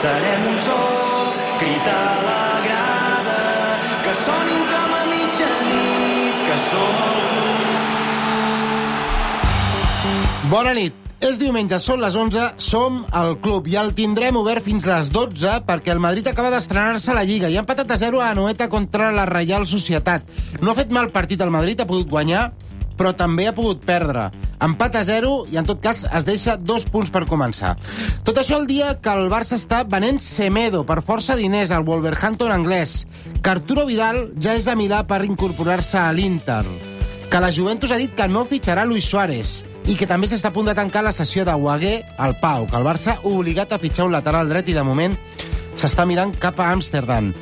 serem un sol, crit a la grada, que sonin com a mitjanit, que som el club. Bona nit. És diumenge, són les 11, som al club i el tindrem obert fins les 12 perquè el Madrid acaba d'estrenar-se a la Lliga i ha empatat a 0 a Anoeta contra la Reial Societat. No ha fet mal partit el Madrid, ha pogut guanyar, però també ha pogut perdre. Empat a 0 i, en tot cas, es deixa 2 punts per començar. Tot això el dia que el Barça està venent Semedo per força diners al Wolverhampton anglès, que Arturo Vidal ja és a Milà per incorporar-se a l'Inter, que la Juventus ha dit que no fitxarà Luis Suárez i que també s'està a punt de tancar la sessió de Guagué al Pau, que el Barça ha obligat a fitxar un lateral dret i, de moment, s'està mirant cap a Amsterdam,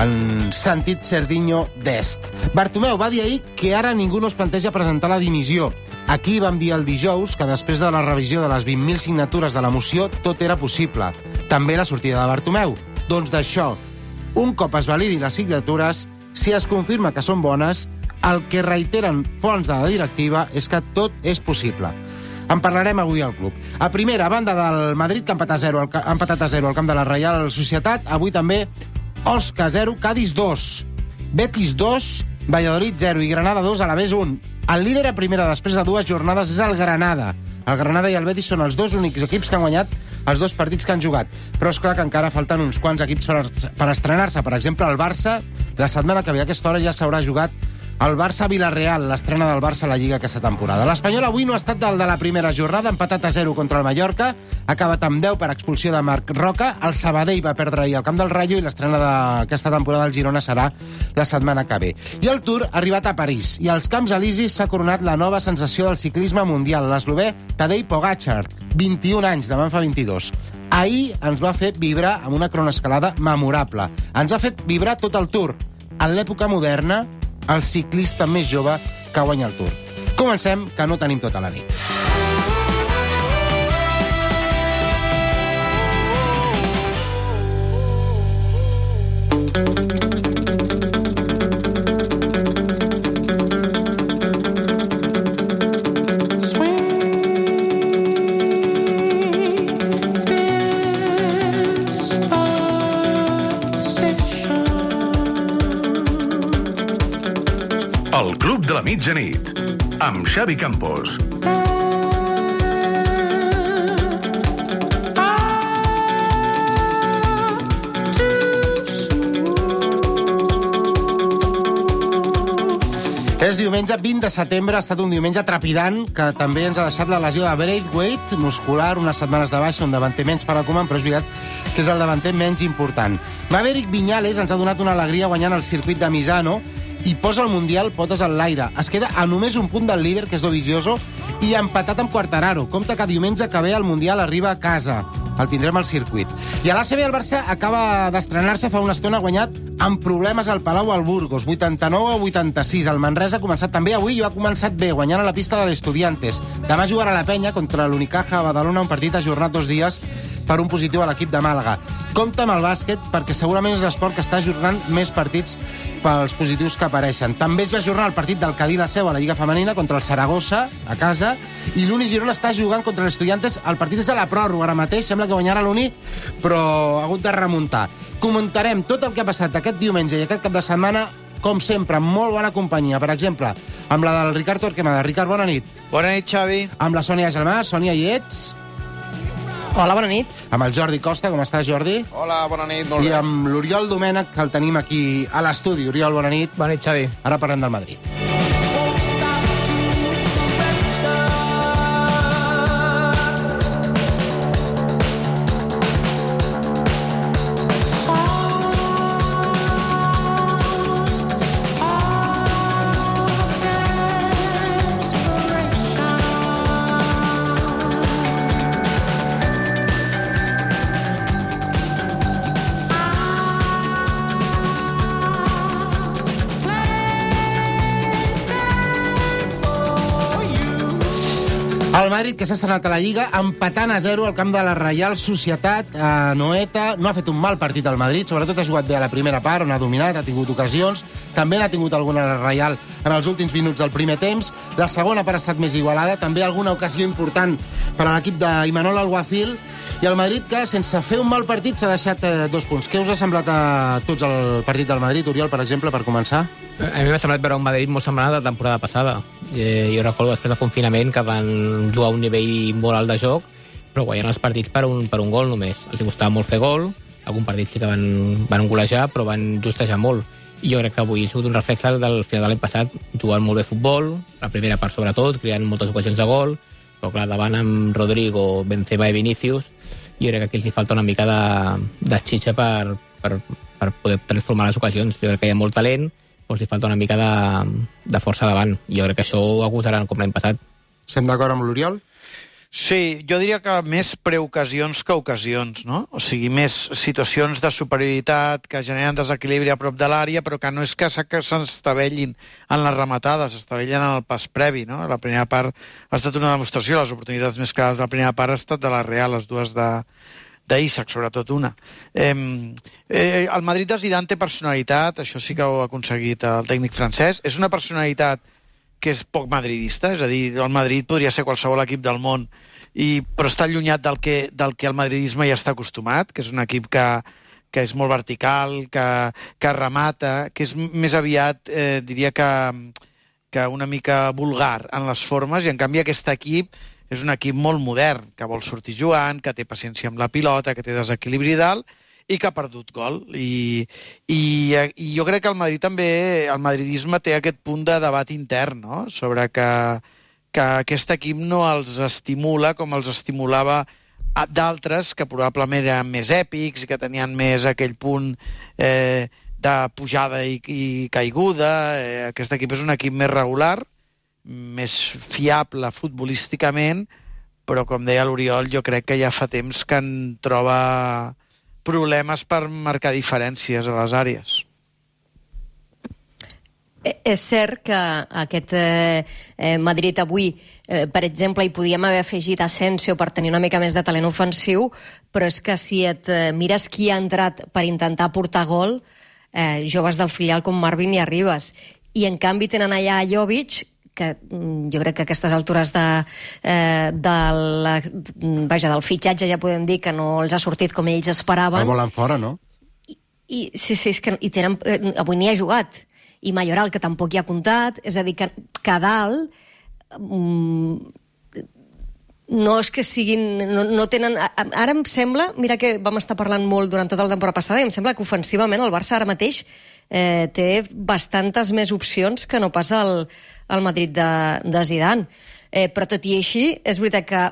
en sentit Cerdiño d'est. Bartomeu va dir ahir que ara ningú no es planteja presentar la dimissió. Aquí vam dir el dijous que després de la revisió de les 20.000 signatures de la moció tot era possible. També la sortida de Bartomeu. Doncs d'això, un cop es validi les signatures, si es confirma que són bones, el que reiteren fonts de la directiva és que tot és possible. En parlarem avui al club. A primera, a banda del Madrid, que ha empatat a 0 al camp de la Reial Societat, avui també Osca 0, Cádiz 2, Betis 2, Valladolid 0 i Granada 2, Alavés 1. El líder a primera després de 2 jornades és el Granada. El Granada i el Betis són els dos únics equips que han guanyat els 2 partits que han jugat. Però és clar que encara falten uns quants equips per estrenar-se. Per exemple, el Barça, la setmana que ve a aquesta hora ja s'haurà jugat el Barça-Vilareal, l'estrena del Barça a la Lliga aquesta temporada. L'Espanyol avui no ha estat del de la primera jornada, empatat a 0 contra el Mallorca, ha acabat amb 10 per expulsió de Marc Roca, el Sabadell va perdre ahir al camp del Rayo i l'estrena d'aquesta temporada del Girona serà la setmana que ve. I el Tour ha arribat a París i als Camps Elisis s'ha coronat la nova sensació del ciclisme mundial, l'eslovè Tadej Pogačar, 21 anys, demà en fa 22. Ahir ens va fer vibrar amb una cronoescalada memorable. Ens ha fet vibrar tot el Tour. En l'època moderna, el ciclista més jove que guanya el Tour. Comencem, que no tenim tota la nit. El Club de la Mitjanit, amb Xavi Campos. És diumenge 20 de setembre, ha estat un diumenge trepidant, que també ens ha deixat la lesió de Braithwaite, muscular, unes setmanes de baixa, un davanter menys per a Koeman, però és veritat que és el davanter menys important. Maverick Viñales ens ha donat una alegria guanyant el circuit de Misano, i posa el Mundial potes en l'aire. Es queda a només un punt del líder, que és Dovizioso, i empatat amb Quartararo. Compte que diumenge que ve el Mundial arriba a casa. El tindrem al circuit. I a l'ACB el Barça acaba d'estrenar-se fa una estona, guanyat amb problemes al Palau al Burgos, 89 a 86. El Manresa ha començat també avui i ha començat bé, guanyant a la pista de l'Estudiantes. Demà jugarà a la Penya contra l'Unicaja a Badalona, un partit ajornat 2 dies per un positiu a l'equip de Màlaga. Compte amb el bàsquet, perquè segurament és l'esport que està ajornant més partits pels positius que apareixen. També es va ajornar el partit del Cadí la Seu a la Lliga Femenina contra el Saragossa, a casa, i l'Uni Girona està jugant contra l'Estudiantes. El partit és a la pròrroga ara mateix, sembla que guanyarà l'Uni, però ha hagut de remuntar. Comentarem tot el que ha passat aquest diumenge i aquest cap de setmana, com sempre, amb molt bona companyia. Per exemple, amb la del Ricard Torquemada. Ricard, bona nit. Bona nit, Xavi. Amb la Sònia Gelmà. Sònia, hi ets? Hola, bona nit. Amb el Jordi Costa, com estàs, Jordi? Hola, bona nit, molt bé. I amb l'Oriol Domènech, que el tenim aquí a l'estudi. Oriol, bona nit. Bona nit, Xavi. Ara parlem del Madrid. El Madrid, que s'ha estrenat a la Lliga, empatant a 0 al camp de la Reial Societat a Noeta. No ha fet un mal partit al Madrid, sobretot ha jugat bé a la primera part, on ha dominat, ha tingut ocasions. També n'ha tingut alguna la Reial en els últims minuts del primer temps. La segona part ha estat més igualada, també alguna ocasió important per a l'equip d'Imanol Alguacil. I el Madrid, que sense fer un mal partit, s'ha deixat 2 punts. Què us ha semblat a tots el partit del Madrid, Oriol, per exemple, per començar? A mi m'ha semblat veure un Madrid molt semblant a la temporada passada. Jo recordo després del confinament que van jugar a un nivell molt alt de joc, però guanyant els partits per un gol només. Els costava molt fer gol, algun partit sí que van golejar, però van justejar molt. I jo crec que avui ha sigut un reflex del final de l'any passat, jugant molt bé futbol, la primera part sobretot, creant moltes ocasions de gol, però clar, davant amb Rodrigo, Benzema i Vinícius, jo crec que aquí els hi falta una mica de xitxa per poder transformar les ocasions. Jo crec que hi ha molt talent, però els hi falta una mica de força davant. Jo crec que això ho acusaran com l'any passat. Estem d'acord amb l'Oriol? Sí, jo diria que més preocasions que ocasions, no? O sigui, més situacions de superioritat que generen desequilibri a prop de l'àrea, però que no és que s'estavellin en les rematades, s'estavellen en el pas previ, no? La primera part ha estat una demostració, les oportunitats més clares de la primera part ha estat de la Real, les dues d'Isaac, sobretot una. El Madrid de Zidane té personalitat, això sí que ho ha aconseguit el tècnic francès. És una personalitat que és poc madridista, és a dir, el Madrid podria ser qualsevol equip del món, però està allunyat del que el madridisme ja està acostumat, que és un equip que és molt vertical, que remata, que és més aviat, diria que una mica vulgar en les formes, i en canvi aquest equip és un equip molt modern, que vol sortir jugant, que té paciència amb la pilota, que té desequilibri dalt, i que ha perdut gol. I jo crec que el Madrid també, el madridisme té aquest punt de debat intern, no? Sobre que aquest equip no els estimula com els estimulava d'altres que probablement eren més èpics i que tenien més aquell punt de pujada i caiguda. Aquest equip és un equip més regular, més fiable futbolísticament, però com deia l'Oriol, jo crec que ja fa temps que en troba problemes per marcar diferències a les àrees. És cert que aquest Madrid avui, per exemple, hi podíem haver afegit Asensio per tenir una mica més de talent ofensiu, però és que si et mires qui ha entrat per intentar portar gol, joves del filial com Marvin i Arribas. I en canvi tenen allà Jovic, que jo crec que a aquestes altures del fitxatge ja podem dir que no els ha sortit com ells esperaven. El volen fora, no? Sí, és que avui n'hi ha jugat. I Mayoral, que tampoc hi ha comptat. És a dir, que a dalt no és que siguin... No tenen... Ara em sembla, mira que vam estar parlant molt durant tota la temporada passada, i em sembla que ofensivament el Barça ara mateix té bastantes més opcions que no pas el Madrid de Zidane. Però tot i així, és veritat que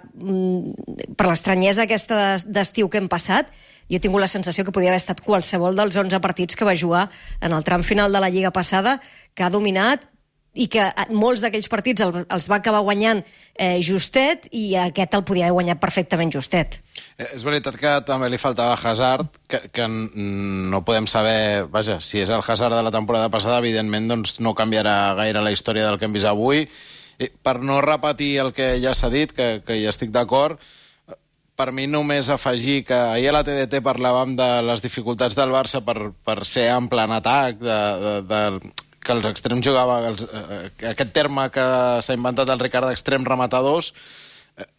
per l'estranyesa aquesta d'estiu que hem passat, jo he tingut la sensació que podia haver estat qualsevol dels 11 partits que va jugar en el tram final de la Lliga passada, que ha dominat i que molts d'aquells partits els va acabar guanyant justet, i aquest el podia haver guanyat perfectament justet. És veritat que també li faltava Hazard, que no podem saber... Vaja, si és el Hazard de la temporada passada, evidentment doncs, no canviarà gaire la història del que hem vist avui. Per no repetir el que ja s'ha dit, que hi estic d'acord, per mi només afegir que ahir a la TDT parlàvem de les dificultats del Barça per ser ample en atac, que els extrems jugaven... Aquest terme que s'ha inventat el Ricard d'extrem rematadors,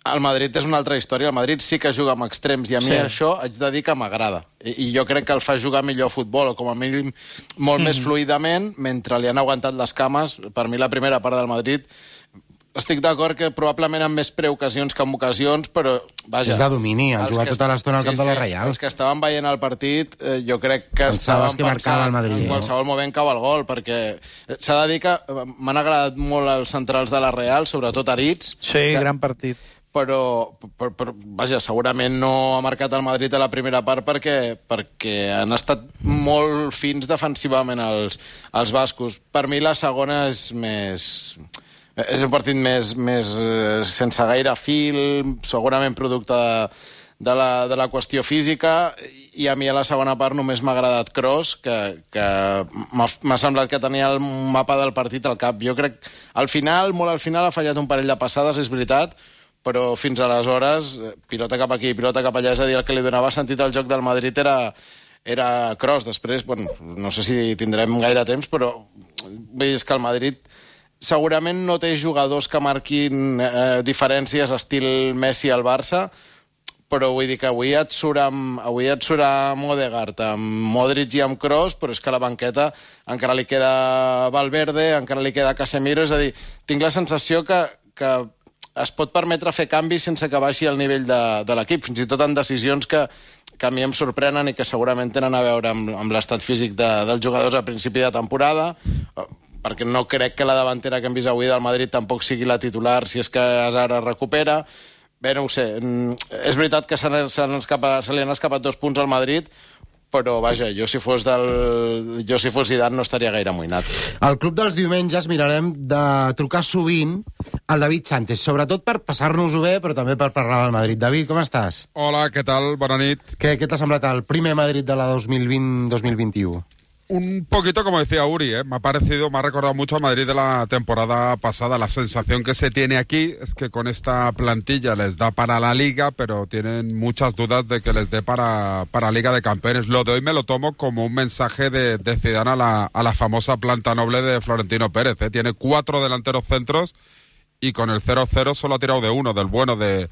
el Madrid és una altra història. El Madrid sí que juga amb extrems, i a mi això haig de dir que m'agrada. I jo crec que el fa jugar millor a futbol, o com a mínim molt més fluidament, mentre li han aguantat les cames. Per mi la primera part del Madrid... Estic d'acord que probablement amb més preocasions que amb ocasions, però, vaja... És de domini, han jugat tota l'estona al camp de la Reial. Els que estaven veient el partit, jo crec que pensaves que marcava el Madrid. En qualsevol moment cau el gol, perquè s'ha de dir que m'han agradat molt els centrals de la Reial, sobretot Aritz. Sí, gran partit. Però, vaja, segurament no ha marcat el Madrid a la primera part perquè han estat molt fins defensivament els bascos. Per mi la segona és més... És un partit més sense gaire fil, segurament producte de la qüestió física, i a mi a la segona part només m'ha agradat Kroos, que m'ha semblat que tenia el mapa del partit al cap. Jo crec, molt al final ha fallat un parell de passades, és veritat, però fins aleshores, pilota cap aquí, pilota cap allà, és a dir, el que li donava sentit al joc del Madrid era Kroos. Després, bueno, no sé si tindrem gaire temps, però vull dir, és que el Madrid segurament no té jugadors que marquin diferències estil Messi al Barça, però vull dir que avui et surt amb Odegaard, amb Modric i amb Kroos, però és que a la banqueta encara li queda Valverde, encara li queda Casemiro, és a dir, tinc la sensació que es pot permetre fer canvis sense que baixi el nivell de l'equip, fins i tot en decisions que a mi em sorprenen i que segurament tenen a veure amb l'estat físic dels jugadors a principi de temporada, perquè no crec que la davantera que hem vist avui del Madrid tampoc sigui la titular si és que Hazard es recupera. Bé, no ho sé. És veritat que se li han escapat 2 punts al Madrid, però, vaja, jo si fos Zidane no estaria gaire amoïnat. Al Club dels Diumenges mirarem de trucar sovint al David Sánchez, sobretot per passar-nos-ho bé, però també per parlar del Madrid. David, com estàs? Hola, què tal? Bona nit. Què t'ha semblat el primer Madrid de la 2020-2021? Un poquito como decía Uri, me ha recordado mucho a Madrid de la temporada pasada. La sensación que se tiene aquí es que con esta plantilla les da para la Liga, pero tienen muchas dudas de que les dé para Liga de Campeones. Lo de hoy me lo tomo como un mensaje de Zidane a la famosa planta noble de Florentino Pérez. Tiene 4 delanteros centros y con el 0-0 solo ha tirado de uno, del bueno de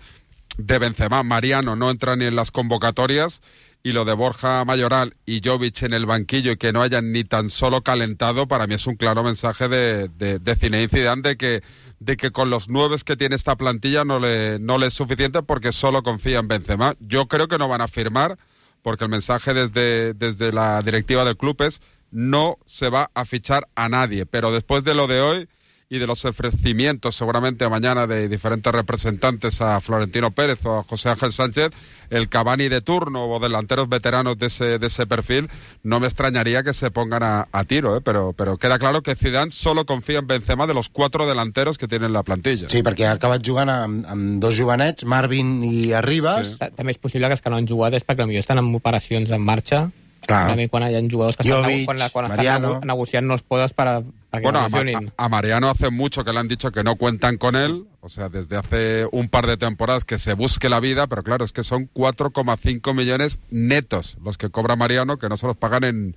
Benzema. Mariano no entra ni en las convocatorias. Y lo de Borja Mayoral y Jovic en el banquillo y que no hayan ni tan solo calentado, para mí es un claro mensaje de Zinedine Zidane de que con los 9 que tiene esta plantilla no le es suficiente porque solo confía en Benzema. Yo creo que no van a firmar porque el mensaje desde la directiva del club es no se va a fichar a nadie, pero después de lo de hoy y de los ofrecimientos seguramente mañana de diferentes representantes a Florentino Pérez o a José Ángel Sánchez, el Cavani de turno o delanteros veteranos de ese perfil, no me extrañaría que se pongan a tiro, pero queda claro que Zidane solo confía en Benzema de los 4 delanteros que tiene en la plantilla. Sí, perquè ha acabat jugant amb 2 jovenets, Marvin i Arribas. Sí. També és possible que els que no han jugat és perquè potser estan en operacions en marxa. Clar. Quan hi ha jugadors que Jovic, quan Mariano. estan negociant no els poses para que bueno, no lesionin. a Mariano hace mucho que le han dicho que no cuentan con él, o sea, desde hace un par de temporadas que se busque la vida, pero claro, es que son 4,5 millones netos los que cobra Mariano, que no se los pagan en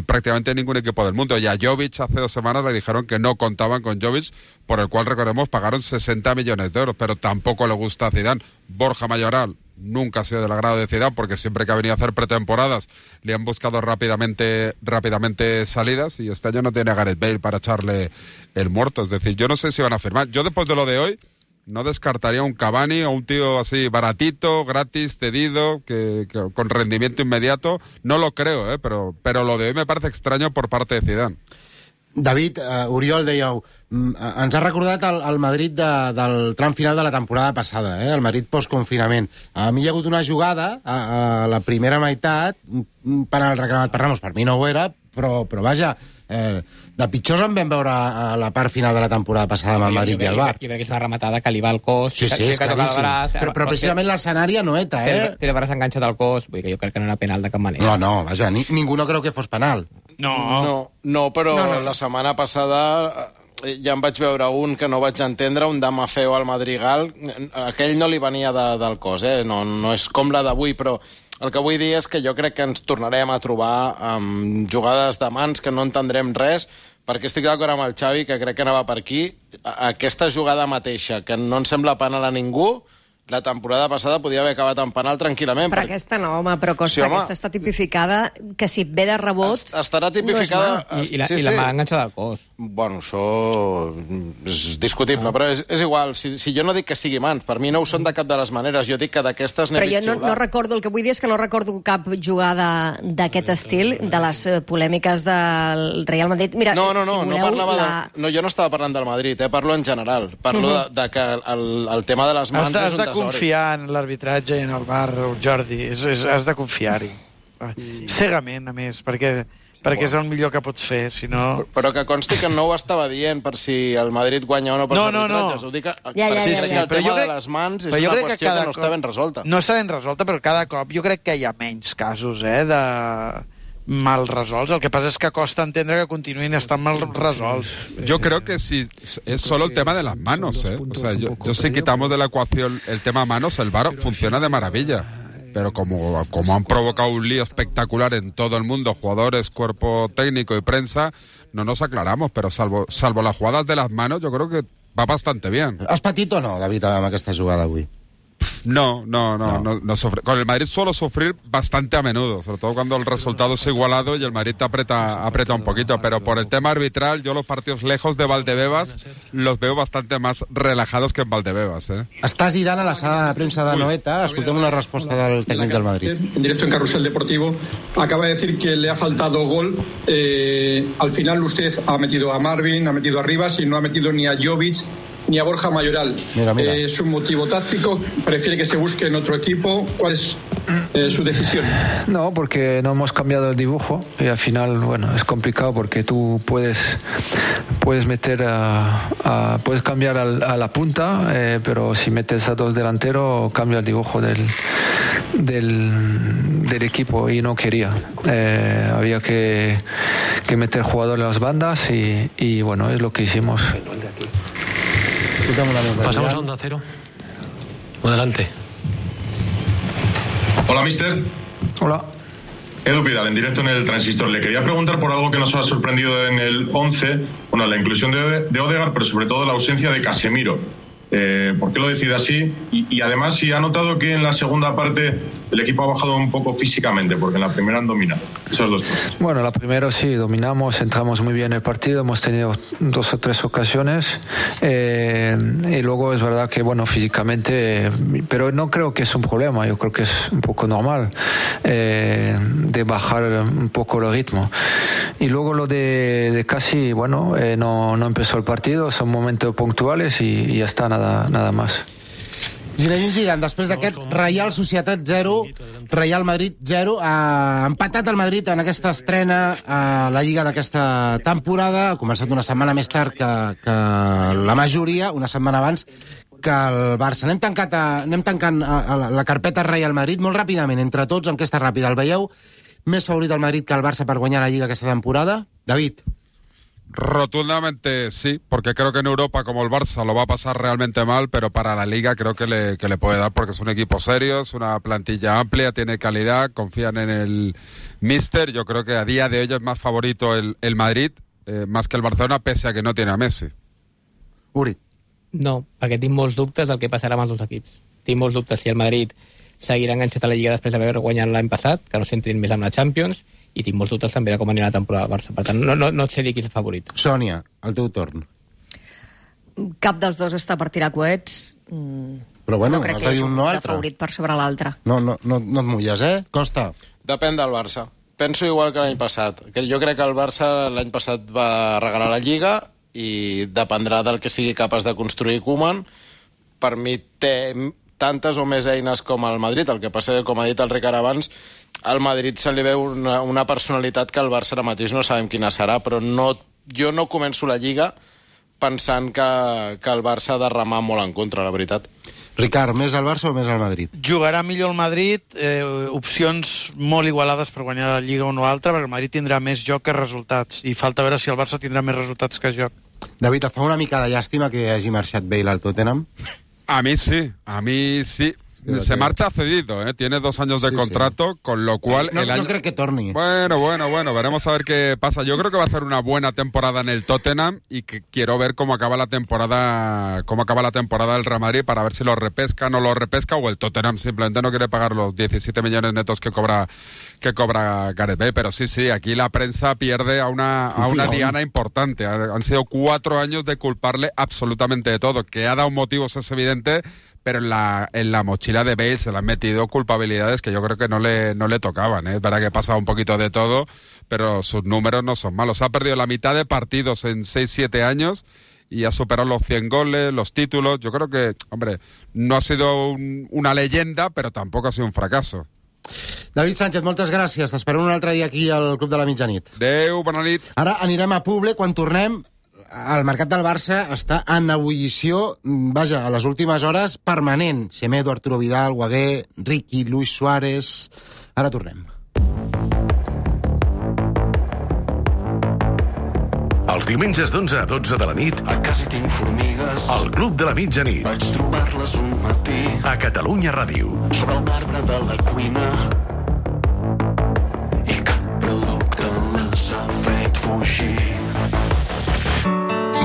prácticamente ningún equipo del mundo. Y a Jovic hace 2 semanas le dijeron que no contaban con Jovic, por el cual, recordemos, pagaron 60 millones de euros, pero tampoco le gusta a Zidane. Borja Mayoral nunca ha sido del agrado de Zidane porque siempre que ha venido a hacer pretemporadas le han buscado rápidamente salidas y este año no tiene a Gareth Bale para echarle el muerto. Es decir, yo no sé si van a firmar. Yo después de lo de hoy no descartaría un Cavani o un tío así baratito, gratis, cedido, que con rendimiento inmediato. No lo creo, pero lo de hoy me parece extraño por parte de Zidane. David, Oriol, dèieu, ens ha recordat el Madrid del tram final de la temporada passada, el Madrid post-confinament. A mi hi ha hagut una jugada a la primera meitat, un penal reclamat per Ramos, per mi no ho era, però vaja, de pitjors en vam veure a la part final de la temporada passada amb el Madrid i el Bar. Jo crec que és una rematada que li va al cos. Sí, és claríssim. Però precisament l'escenari no eta, Té el braç enganxat al cos, vull dir que jo crec que no era penal de cap manera. No, vaja, ningú no creu que fos penal. No, però la setmana passada ja em vaig veure un que no vaig entendre, un Damafeo al Madrigal. Aquell no li venia del cos, no és com la d'avui, però el que vull dir és que jo crec que ens tornarem a trobar amb jugades de mans que no entendrem res, perquè estic d'acord amb el Xavi, que crec que anava per aquí. Aquesta jugada mateixa, que no ens sembla penal a ningú, la temporada passada podia haver acabat en penal tranquil·lament. Però aquesta no, home, però Costa, sí, aquesta està tipificada, que si et ve de rebot... Estarà tipificada... No I la mà enganxada al cos. Bueno, això és discutible, però és igual. Si jo no dic que sigui mans, per mi no ho són de cap de les maneres. Jo dic que d'aquestes n'he vist xiular. Però jo no recordo, el que vull dir és que no recordo cap jugada d'aquest estil, de les polèmiques del Real Madrid. Mira, no parlava no, jo no estava parlant del Madrid, parlo en general. Parlo de que el tema de les mans és un desori. Confiar en l'arbitratge i en el VAR, Jordi. Has de confiar-hi. Cegament, a més, perquè és el millor que pots fer, si no... Però que consti que no ho estava dient per si el Madrid guanya o no per arbitratges. Ho dic perquè el tema de les mans és una qüestió que no està ben resolta. No està ben resolta, però cada cop jo crec que hi ha menys casos, mal resolts. El que passa és que costa entendre que continuïn estant mal resolts. Yo creo que si es solo el tema de las manos, ¿eh? O sea, yo si quitamos de la ecuación el tema manos, el VAR funciona de maravilla. Pero como han provocado un lío espectacular en todo el mundo, jugadores, cuerpo técnico y prensa, no nos aclaramos, pero salvo las jugadas de las manos, yo creo que va bastante bien. Has patit o no, David, amb aquesta jugada avui? No sufre. Con el Madrid suelo sufrir bastante a menudo, sobre todo cuando el resultado es igualado y el Madrid te aprieta un poquito, pero por el tema arbitral, yo los partidos lejos de Valdebebas los veo bastante más relajados que en Valdebebas, ¿eh? Està Zidane a la sala de premsa de Noeta. Escoltem una resposta del tècnic del Madrid. En directo en Carrusel Deportivo, acaba de decir que le ha faltado gol. Al final usted ha metido a Marvin, ha metido a Rivas y no ha metido ni a Jovic ni a Borja Mayoral. Mira. ¿Es un motivo táctico? ¿Prefiere que se busque en otro equipo? ¿Cuál es su decisión? No, porque no hemos cambiado el dibujo y al final, bueno, es complicado porque tú puedes meter puedes cambiar a la punta, pero si metes a dos delanteros cambia el dibujo del equipo y no quería. Había que meter jugadores en las bandas y bueno, es lo que hicimos. Pasamos a Onda Cero. Adelante. Hola, mister. Hola. Edu Pidal, en directo en el Transistor. Le quería preguntar por algo que nos ha sorprendido en el 11, bueno, la inclusión de Odegaard, pero sobre todo la ausencia de Casemiro. ¿Por qué lo decide así? Y además, si ha notado que en la segunda parte el equipo ha bajado un poco físicamente, porque en la primera han dominado. Esas dos cosas. Bueno, la primera sí, dominamos, entramos muy bien en el partido, hemos tenido 2 o 3 ocasiones y luego es verdad que, bueno, físicamente, pero no creo que es un problema, yo creo que es un poco normal de bajar un poco el ritmo. Y luego lo de Casi, bueno, no empezó el partido, son momentos puntuales y ya está, nada más. Zinedine Zidane, després d'aquest Real Societat 0, Real Madrid 0, ha empatat el Madrid en aquesta estrena a la Lliga d'aquesta temporada. Ha començat una setmana més tard que la majoria, una setmana abans que el Barça. Anem tancant la carpeta Real Madrid molt ràpidament, entre tots, enquesta ràpida. El veieu més favorit el Madrid que el Barça per guanyar la Lliga aquesta temporada? David. Rotundamente sí, porque creo que en Europa, como el Barça, lo va a pasar realmente mal, pero para la Liga creo que le puede dar, porque es un equipo serio, es una plantilla amplia, tiene calidad, confían en el míster. Yo creo que a día de hoy es más favorito el Madrid, más que el Barcelona, pese a que no tiene a Messi. Uri. No, perquè tinc molts dubtes del que passarà amb els dos equips. Tinc molts dubtes si el Madrid seguirà enganxat a la Lliga després d'haver guanyat l'any passat, que no s'entrin més amb la Champions, i tinc molts dubtes també de com anirà la temporada del Barça. Per tant, no et sé dir qui és el favorit. Sònia, el teu torn. Cap dels dos està per tirar coets. Però bueno, no crec has de dir un no que altre. favorit per sobre l'altre. No et mulles, Costa. Depèn del Barça. Penso igual que l'any passat. Jo crec que el Barça l'any passat va regalar la Lliga i dependrà del que sigui capaç de construir Koeman. Per mi té tantes o més eines com el Madrid. El que passa que, com ha dit el Ricard abans, al Madrid se li veu una personalitat que al Barça ara mateix no sabem quina serà, però jo no començo la Lliga pensant que el Barça ha de remar molt en contra, la veritat. Ricard, més al Barça o més al Madrid? Jugarà millor el Madrid, opcions molt igualades per guanyar la Lliga una o altra, perquè el Madrid tindrà més joc que resultats, i falta veure si el Barça tindrà més resultats que joc. David, et fa una mica de llàstima que hagi marxat Bale al Tottenham? A mí sí. Se marcha cedido, tiene 2 años de contrato, sí. Con lo cual... No creo que torni. Bueno, veremos a ver qué pasa. Yo creo que va a hacer una buena temporada en el Tottenham y que quiero ver cómo acaba la temporada del Real Madrid para ver si lo repesca, no lo repesca, o el Tottenham simplemente no quiere pagar los 17 millones netos que cobra Gareth Bale. Pero sí, aquí la prensa pierde a una diana importante. Han sido 4 años de culparle absolutamente de todo. Que ha dado motivos es evidente, pero en la mochila de Bale se le han metido culpabilidades que yo creo que no le tocaban. Es verdad que pasa un poquito de todo, pero sus números no son malos. Ha perdido la mitad de partidos en 6-7 años y ha superado los 100 goles, los títulos. Yo creo que, hombre, no ha sido una leyenda, pero tampoco ha sido un fracaso. David Sánchez, moltes gràcies. T'esperem un altre dia aquí al Club de la Mitjanit. Adéu, bona nit. Ara anirem a Publi. Quan tornem, el mercat del Barça està en ebullició, vaja, a les últimes hores, permanent. Semedo, Arturo Vidal, Guagué, Riqui, Luis Suárez... Ara tornem. Els diumenges d'11 a 12 de la nit, a casa tinc formigues, al Club de la Mitjanit, vaig trobar-les un matí, a Catalunya Ràdio. sobre el marbre de la cuina, i cap producte les ha fet fugir.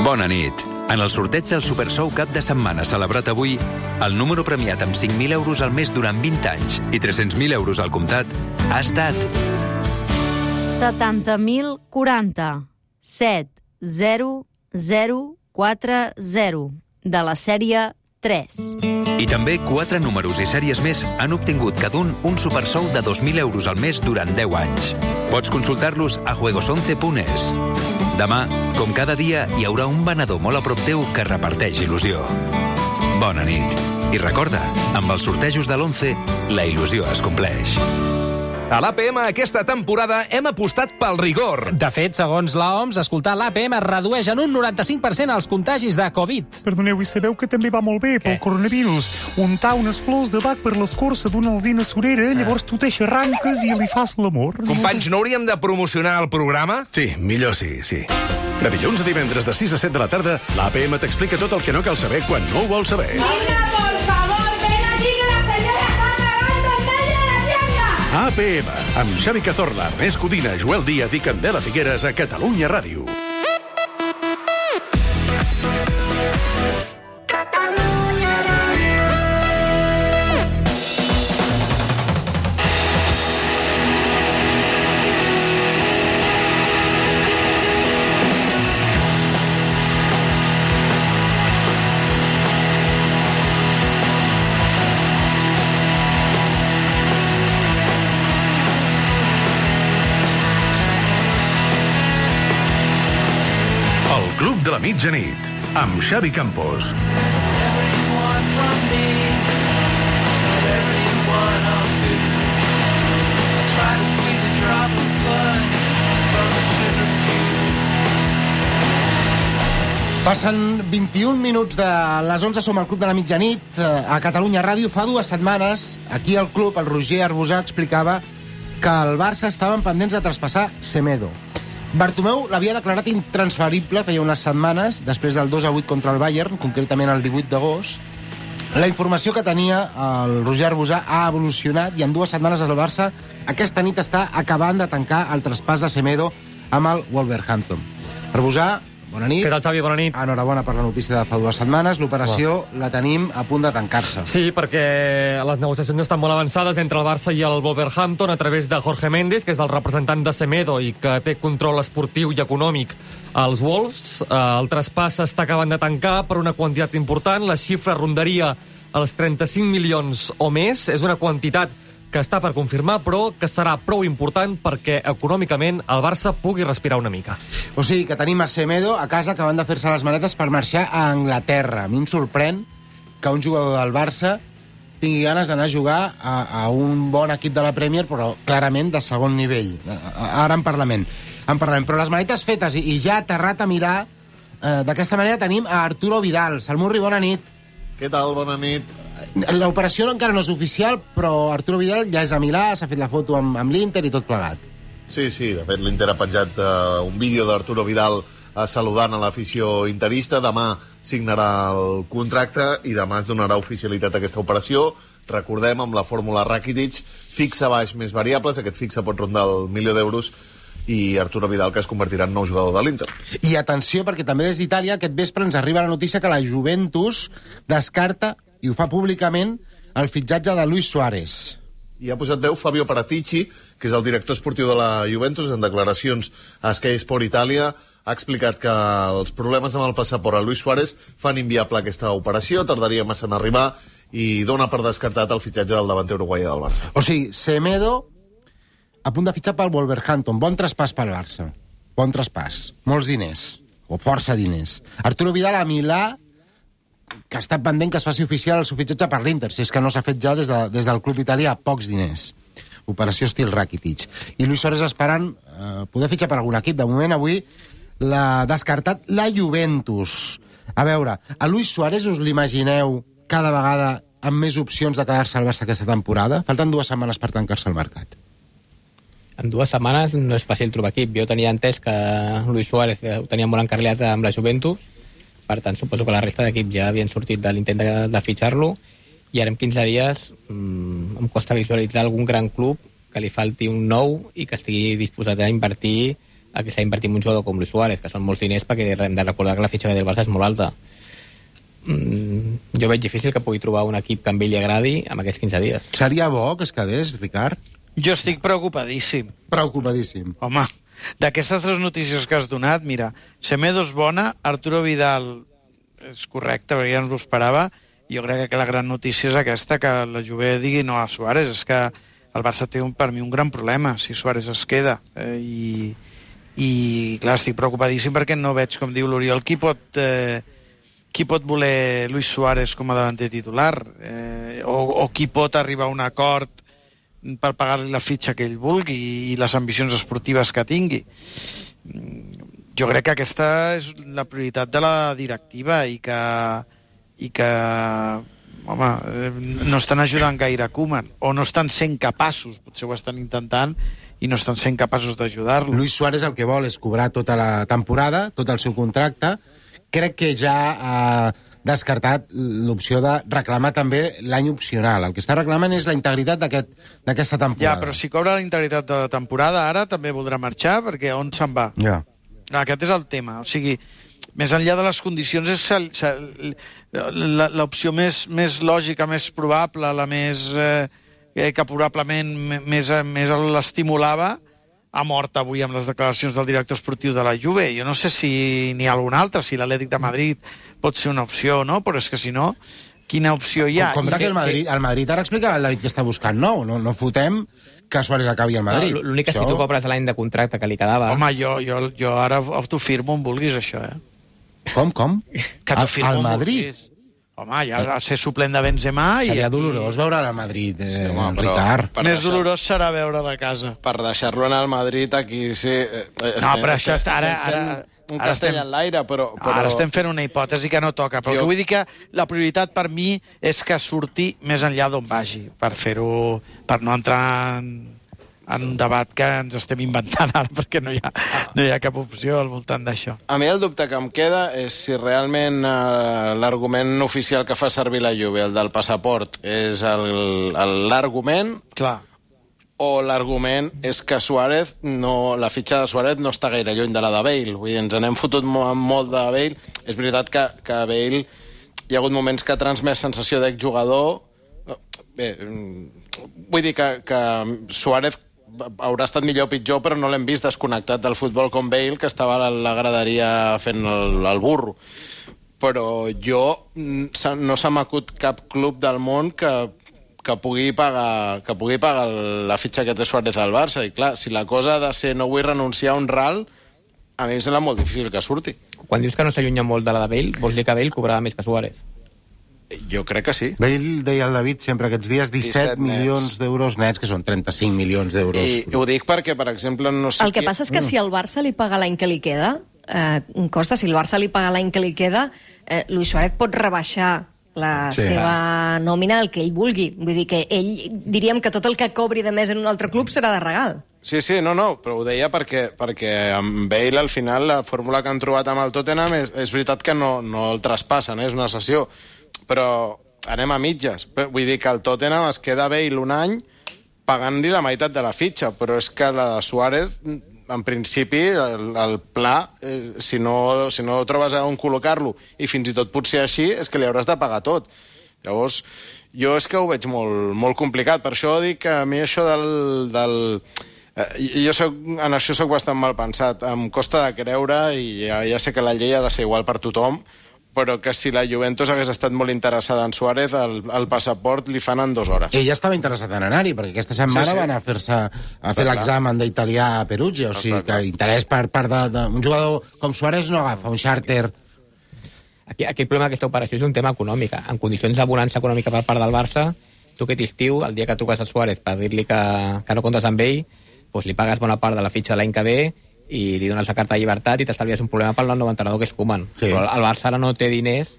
Bona nit. En el sorteig del Supersou cap de setmana celebrat avui, el número premiat amb 5.000 euros al mes durant 20 anys i 300.000 euros al comptat ha estat 70.040 70040 de la sèrie 3. I també 4 números i sèries més han obtingut cada un Supersou de 2.000 euros al mes durant 10 anys. Pots consultar-los a juegos11.es. Demà, com cada dia, hi haurà un venedor molt a prop teu que reparteix il·lusió. Bona nit. I recorda, amb els sortejos de l'11, la il·lusió es compleix. A l'APM aquesta temporada hem apostat pel rigor. De fet, segons l'OMS, escoltar l'APM redueix en un 95% els contagis de Covid. Perdoneu, i sabeu que també va molt bé pel coronavirus? Untar unes flors de bac per l'escorça d'una alzina surera, llavors tu t'aixarranques i li fas l'amor. Companys, no hauríem de promocionar el programa? Sí, millor sí. De dilluns a divendres de 6 a 7 de la tarda, l'APM t'explica tot el que no cal saber quan no ho vols saber. Venga, por favor, ven aquí que la señora está acabando en medio de la tienda. APM, amb Xavi Cazorla, Ernest Codina, Joel Díaz i Candela Figueres a Catalunya Ràdio. Club de la Mitjanit, amb Xavi Campos. Passen 21 minuts de les 11, som al Club de la Mitjanit, a Catalunya Ràdio. Fa 2 setmanes, aquí al club, el Roger Arbusà explicava que el Barça estaven pendents de traspassar Semedo. Bartomeu l'havia declarat intransferible feia unes setmanes, després del 2-8 contra el Bayern, concretament el 18 d'agost. La informació que tenia el Roger Arbusà ha evolucionat i en 2 setmanes el Barça aquesta nit està acabant de tancar el traspàs de Semedo amb el Wolverhampton. Arbusà, bona nit. Què tal, Xavi? Bona nit. Enhorabona per la notícia de fa 2 setmanes. L'operació la tenim a punt de tancar-se. Sí, perquè les negociacions estan molt avançades entre el Barça i el Wolverhampton a través de Jorge Méndez, que és el representant de Semedo i que té control esportiu i econòmic als Wolves. El traspàs s'està acabant de tancar per una quantitat important. La xifra rondaria els 35 milions o més. És una quantitat que està per confirmar, però que serà prou important perquè econòmicament el Barça pugui respirar una mica. O sigui, que tenim a Semedo a casa acabant de fer-se les maletes per marxar a Anglaterra. A mi em sorprèn que un jugador del Barça tingui ganes d'anar a jugar a un bon equip de la Premier, però clarament de segon nivell. Ara en parlarem. Però les maletes fetes i ja aterrat a mirar, d'aquesta manera tenim a Arturo Vidal. Salmurri, bona nit. Què tal? Bona nit. L'operació encara no és oficial, però Arturo Vidal ja és a Milà, s'ha fet la foto amb l'Inter i tot plegat. Sí, de fet l'Inter ha penjat un vídeo d'Arturo Vidal saludant a l'afició interista. Demà signarà el contracte i demà es donarà oficialitat a aquesta operació. Recordem, amb la fórmula Rakitic, fixa baix més variables, aquest fixa pot rondar el 1.000.000 d'euros, i Arturo Vidal, que es convertirà en nou jugador de l'Inter. I atenció, perquè també des d'Itàlia aquest vespre ens arriba la notícia que la Juventus descarta, i ho fa públicament, el fitxatge de Luis Suárez. I ha posat veu Fabio Paratici, que és el director esportiu de la Juventus, en declaracions a Sky Sport Italia, ha explicat que els problemes amb el passaport a Luis Suárez fan inviable aquesta operació, tardaria massa en arribar, i dona per descartat el fitxatge del davanter uruguaià del Barça. O sigui, Semedo a punt de fitxar pel Wolverhampton. Bon traspàs pel Barça. Bon traspàs. Molts diners. O força diners. Arturo Vidal a Milà, que està pendent que es faci oficial el seu fitxatge per l'Inter, si és que no s'ha fet ja des del club italià, pocs diners. Operació estil Rakitic. I Luis Suárez esperant poder fitxar per algun equip. De moment, avui l'ha descartat la Juventus. A veure, a Luis Suárez us l'imagineu cada vegada amb més opcions de quedar-se al Barça aquesta temporada? Falten 2 setmanes per tancar-se el mercat. En 2 setmanes no és fàcil trobar equip. Jo tenia entès que Luis Suárez ho tenia molt encarrilat amb la Juventus, per tant suposo que la resta d'equips ja havien sortit de l'intent de fitxar-lo, i ara en 15 dies em costa visualitzar algun gran club que li falti un nou i que estigui disposat a invertir el que s'ha invertit en un jugador com Luis Suárez, que són molts diners, perquè hem de recordar que la fitxa del Barça és molt alta. Jo veig difícil que pugui trobar un equip que a ell li agradi en aquests 15 dies. Seria bo que es quedés, Ricard? Jo estic preocupadíssim. Preocupadíssim. Home, d'aquestes 3 notícies que has donat, mira, Semedo és bona, Arturo Vidal és correcte, perquè ja ens ho esperava. Jo crec que la gran notícia és aquesta, que la Juve digui no a Suárez. És que el Barça té per mi un gran problema si Suárez es queda. I clar, estic preocupadíssim perquè no veig, com diu l'Oriol, qui pot voler Luis Suárez com a davanter titular, o qui pot arribar a un acord per pagar-li la fitxa que ell vulgui i les ambicions esportives que tingui. Jo crec que aquesta és la prioritat de la directiva i que home, no estan ajudant gaire Koeman, o no estan sent capaços, potser ho estan intentant i no estan sent capaços d'ajudar-lo. Luis Suárez el que vol és cobrar tota la temporada, tot el seu contracte. Crec que ja ha descartat l'opció de reclamar també l'any opcional. El que està reclamant és la integritat d'aquesta temporada. Ja, però si cobra la integritat de la temporada, ara també voldrà marxar, perquè on se'n va? Ja. Aquest és el tema. O sigui, més enllà de les condicions, és l'opció més lògica, més probable, la més que probablement més l'estimulava, ha mort avui amb les declaracions del director esportiu de la Juve. Jo no sé si n'hi ha algun altre, si l'Atlètic de Madrid pot ser una opció o no, però és que si no, quina opció hi ha? Compte que el Madrid ara explicava el David que està buscant nou. No fotem que Suárez acabi al Madrid. L'únic que si tu cobres l'any de contracte que li quedava... Home, jo ara t'ho firmo on vulguis, això, Com? Que t'ho firmo al on Madrid? vulguis. Home, ja va ser suplent de Benzema... Seria dolorós veure'l al Madrid, Ricard. Més dolorós serà veure'l a casa. Per deixar-lo anar al Madrid, aquí sí... No, però això està... Un castell en l'aire, però... Ara estem fent una hipòtesi que no toca, però vull dir que la prioritat per mi és que surti més enllà d'on vagi, per no entrar en un debat que ens estem inventant ara, perquè no hi ha cap opció al voltant d'això. A mi el dubte que em queda és si realment l'argument oficial que fa servir la Juve, el del passaport, és l'argument... Clar. O l'argument és que Suárez la fitxa de Suárez no està gaire lluny de la de Bale. Vull dir, ens n'hem fotut molt de Bale. És veritat que Bale hi ha hagut moments que ha transmès sensació d'exjugador. Bé, vull dir que Suárez haurà estat millor o pitjor, però no l'hem vist desconnectat del futbol com Bale, que estava a la graderia fent el burro. Però no se m'acut cap club del món que pugui pagar la fitxa que té Suárez al Barça. I clar, si la cosa ha de ser no vull renunciar a un ral, a mi em sembla molt difícil que surti. Quan dius que no s'allunya molt de la de Bale, vols dir que Bale cobrava més que Suárez? Jo crec que sí. Bale, deia el David sempre aquests dies, 17 milions d'euros nets, que són 35 milions d'euros. I ho dic perquè, per exemple, no sé... El que passa és que si el Barça li paga l'any que li queda, si el Barça li paga l'any que li queda, Luis Suárez pot rebaixar la seva nòmina el que ell vulgui. Vull dir que ell, diríem que tot el que cobri de més en un altre club serà de regal. Sí, no, però ho deia perquè amb Bale, al final, la fórmula que han trobat amb el Tottenham és veritat que no el traspassen, és una cessió, però anem a mitges. Vull dir que el Tottenham es queda Bale un any pagant-li la meitat de la fitxa, però és que la de Suárez, en principi, el pla, si no trobes on col·locar-lo, i fins i tot potser així, és que li hauràs de pagar tot. Llavors, jo és que ho veig molt, molt complicat. Per això dic que a mi això en això soc bastant mal pensat. Em costa de creure, i ja sé que la llei ha de ser igual per tothom, però que si la Juventus hagués estat molt interessada en Suárez, el passaport li fan en 2 hores. Ella estava interessada en anar-hi, perquè aquesta setmana van a fer l'examen d'italià a Perugia, o sigui que interès per part d'un jugador com Suárez no agafa un xàrter. Aquí el problema d'aquesta operació és un tema econòmic. En condicions de bonança econòmica per part del Barça, tu aquest estiu, el dia que truques a Suárez per dir-li que no comptes amb ell, doncs li pagues bona part de la fitxa de l'any que ve i li dones la carta de llibertat i t'estalvies un problema pel nou entrenador que és Koeman. Sí. Però el Barça ara no té diners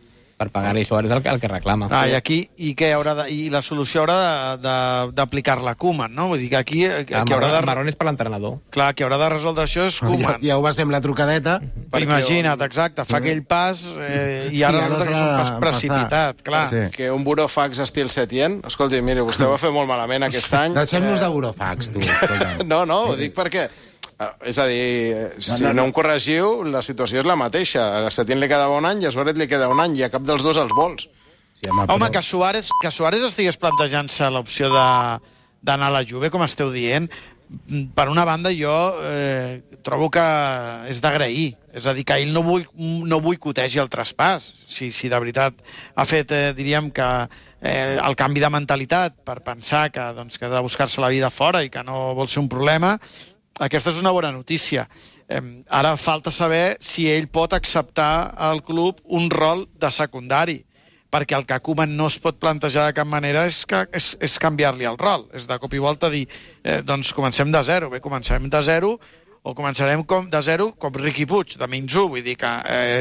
per pagar-li Suárez el que reclama. I aquí, i la solució haurà d'aplicar-la Koeman, no? Vull dir que aquí... Marrón és per l'entrenador. Clar, qui haurà de resoldre això és Koeman. Ja ho va ser amb la trucadeta. Imagina't, exacte, fa aquell pas i ara resulta que és un pas precipitat, clar. Que un burofax estil Setién, escolti, miri, vostè ho va fer molt malament aquest any. Deixem-nos de burofax, tu. No, ho dic perquè... És a dir, si no em corregiu, la situació és la mateixa. A Setién li queda un any i a Suárez li queda un any i a cap dels dos els vols. Home, que Suárez estigués plantejant-se l'opció d'anar a la Juve, com esteu dient, per una banda jo trobo que és d'agrair. És a dir, que ell no boicotegi el traspàs. Si de veritat ha fet, diríem que el canvi de mentalitat per pensar que ha de buscar-se la vida fora i que no vol ser un problema, aquesta és una bona notícia. Ara falta saber si ell pot acceptar al club un rol de secundari, perquè el que Koeman no es pot plantejar de cap manera és canviar-li el rol. És de cop i volta dir, doncs comencem de zero. Bé, començarem de zero o començarem de zero com Riqui Puig, de -1. Vull dir que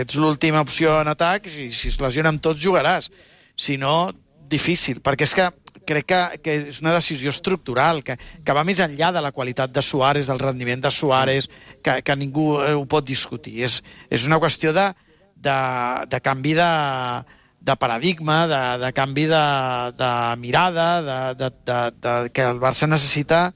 ets l'última opció en atac i si es lesiona amb tots jugaràs. Si no, difícil, perquè és que crec que és una decisió estructural, que va més enllà de la qualitat de Suárez, del rendiment de Suárez, que ningú ho pot discutir. És una qüestió de canvi de paradigma, de canvi de mirada, que el Barça necessita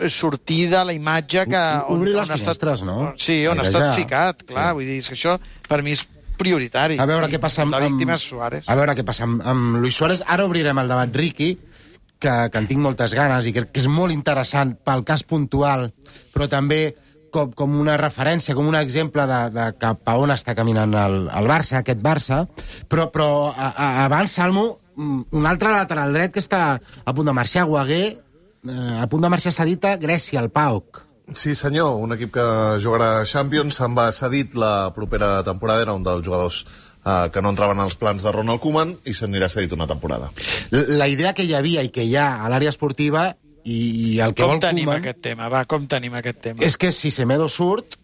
sortir de la imatge que... Obrir les finestres, no? Sí, on ha estat ficat, clar. Vull dir, que això per mi és prioritari. A veure què passa amb... La víctima és Suárez. A veure què passa amb Luis Suárez. Ara obrirem el debat Riqui, que en tinc moltes ganes i crec que és molt interessant pel cas puntual, però també com una referència, com un exemple de cap a on està caminant el Barça, aquest Barça. Però abans, Salmo, un altre lateral dret que està a punt de marxar, Guaguer, a punt de marxar cedit a Grècia, al PAOK. Sí, senyor, un equip que jugarà a Champions, se'n va cedit la propera temporada, era un dels jugadors que no entraven als plans de Ronald Koeman i se n'anirà cedit una temporada. La idea que hi havia i que hi ha a l'àrea esportiva i el que vol Koeman... Com tenim aquest tema? Va, com tenim aquest tema? És que si Semedo surt,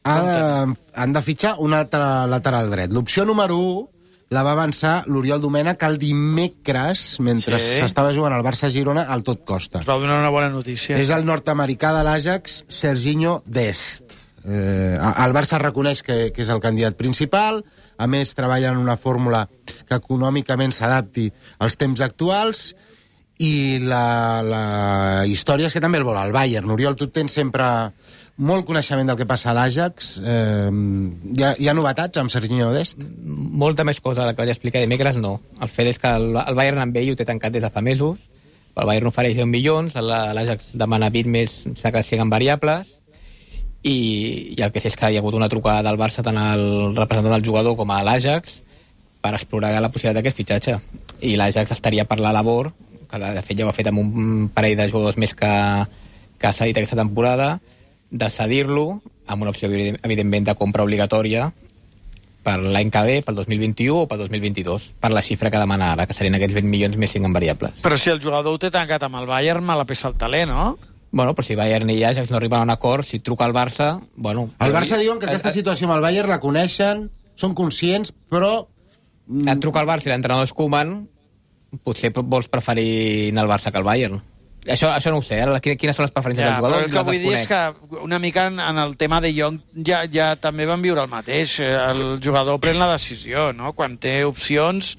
han de fitxar un altre lateral dret. L'opció número 1 la va avançar l'Oriol Domènech el dimecres, mentre s'estava jugant al Barça-Girona, al Tot Costa. Es va donar una bona notícia. És el nord-americà de l'Ajax, Serginho Dest. El Barça reconeix que és el candidat principal, a més treballa en una fórmula que econòmicament s'adapti als temps actuals, i la història és que també el vol el Bayern. Oriol, tu tens sempre molt coneixement del que passa a l'Ajax. Hi ha novetats amb Serginho Dest? Molta més cosa que vaig explicar dimecres, no. El fet és que el Bayern amb ell ho té tancat des de fa mesos. El Bayern ofereix 10 milions, l'Ajax demana 20 més, que siguen variables, i el que sé és que hi ha hagut una trucada del Barça tant al representant del jugador com a l'Ajax per explorar la possibilitat d'aquest fitxatge. I l'Ajax estaria per la labor, que de fet ja ho ha fet amb un parell de jugadors més que ha cedit aquesta temporada, de cedir-lo amb una opció, evidentment, de compra obligatòria per l'any que ve, pel 2021 o pel 2022, per la xifra que demana ara, que serien aquests 20 milions més 5 en variables. Però si el jugador ho té tancat amb el Bayern, me la pesa el talent, no? Bueno, però si Bayern i Ajax no arriben a un acord, si truca al Barça... Bueno, el Barça diuen que aquesta situació amb el Bayern la coneixen, són conscients, però... Et truca al Barça i l'entrenador és Koeman, potser vols preferir anar al Barça que al Bayern. Això no ho sé, ara quines són les preferències del jugador? Però el que vull dir és que una mica en el tema de Jong ja també van viure el mateix. El jugador pren la decisió, no? Quan té opcions,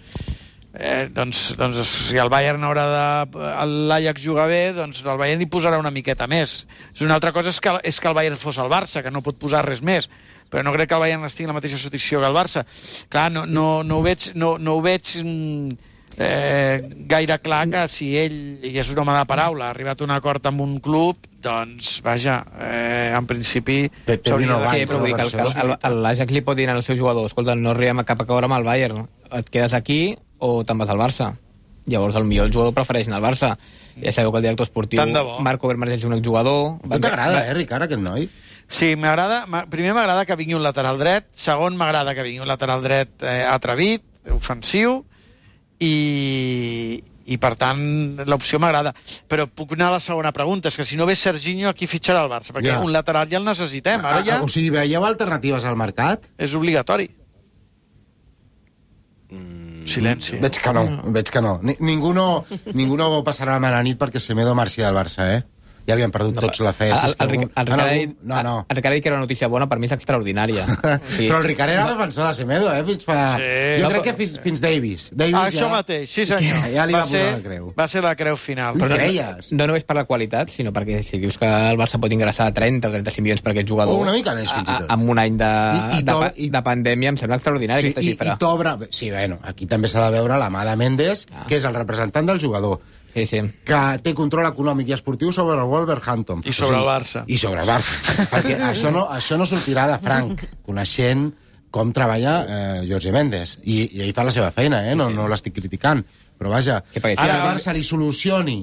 doncs si el Bayern l'Ajax juga bé, doncs el Bayern hi posarà una miqueta més. Una altra cosa és que el Bayern fos el Barça, que no pot posar res més, però no crec que el Bayern estigui en la mateixa situació que el Barça. Clar, no ho veig gaire clar que si ell, i és un home de paraula, ha arribat a un acord amb un club, doncs, vaja, en principi... Sí, però vull dir que l'Ajax li pot dir al seu jugador, escolta, no arribem a cap acord amb el Bayern, et quedes aquí o te'n vas al Barça. Llavors, potser el jugador prefereix anar al Barça. Ja sabeu que el director esportiu, Marco Vermars, és un exjugador... Tu t'agrada, Ricard, aquest noi? Sí, m'agrada. Primer m'agrada que vingui un lateral dret, segon m'agrada que vingui un lateral dret atrevit, ofensiu, i per tant l'opció m'agrada. Però puc anar a la segona pregunta, és que si no ve Serginho, aquí fitxarà el Barça, perquè un lateral ja el necessitem. Ara ja... O sigui, veieu alternatives al mercat? És obligatori. Silenci. Veig que no. Ningú no passarà la mala nit perquè Semedo marxi del Barça, Ja havien perdut tots la fe. El Ricard que era una notícia bona, per mi és extraordinària. Sí. Però el Ricard era defensor de Semedo, fins fa... Sí. Jo crec que fins Davis. Això mateix, sí senyor. Ja li va posar la creu. Va ser la creu final. Li creies? No només per la qualitat, sinó perquè si dius que el Barça pot ingressar 30 o 35 milions per aquest jugador... O una mica més, fins i tot. Amb un any de pandèmia em sembla extraordinària aquesta xifra. I t'obre... Sí, bueno, aquí també s'ha de veure la mà de Mendes, que és el representant del jugador. Sí. Que té control econòmic i esportiu sobre el Wolverhampton. I sobre el Barça. I sobre el Barça. Perquè això no sortirà de franc, coneixent com treballa Jorge Mendes. I ell fa la seva feina, no l'estic criticant. Però vaja, que el Barça li solucioni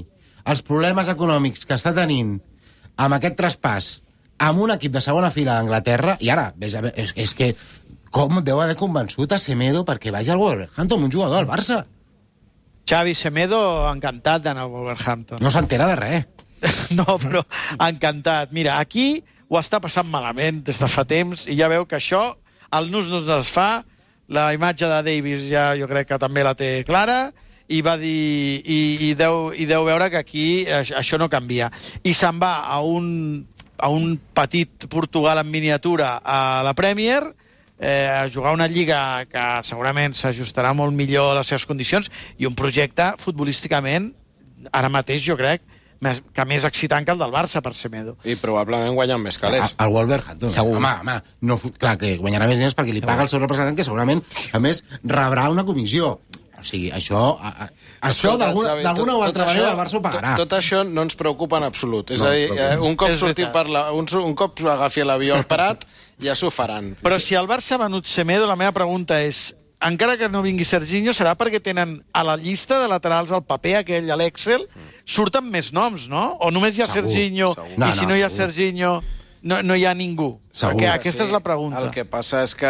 els problemes econòmics que està tenint amb aquest traspàs amb un equip de segona fila d'Anglaterra, i ara, és que com deu haver convençut a Semedo perquè vagi al Wolverhampton, un jugador del Barça. Xavi Semedo, encantat d'anar al Wolverhampton. No s'entera de res. No, però encantat. Mira, aquí ho està passant malament des de fa temps i ja veu que això, el nus es fa, la imatge de Davis ja jo crec que també la té clara i va dir i deu veure que aquí això no canvia. I se'n va a un petit Portugal en miniatura a la Premier, a jugar una lliga que segurament s'ajustarà molt millor a les seves condicions i un projecte futbolísticament, ara mateix jo crec, que més excitant que el del Barça per Semedo. I probablement guanyen més calés. El Wolverhampton. Segur. Home, no, clar, que guanyarà més diners perquè li paga el seu representant, que segurament, a més, rebrà una comissió. O sigui, això d'alguna o altra manera el Barça ho pagarà. Tot això no ens preocupa en absolut. És a dir, un cop agafi l'avió al Prat, ja s'ho faran. Però si el Barça ha venut Semedo, la meva pregunta és, encara que no vingui Serginho, serà perquè tenen a la llista de laterals al paper aquell, a l'Excel, surten més noms, no? O només hi ha Serginho, i si no hi ha Serginho, no hi ha ningú. Perquè aquesta és la pregunta. El que passa és que...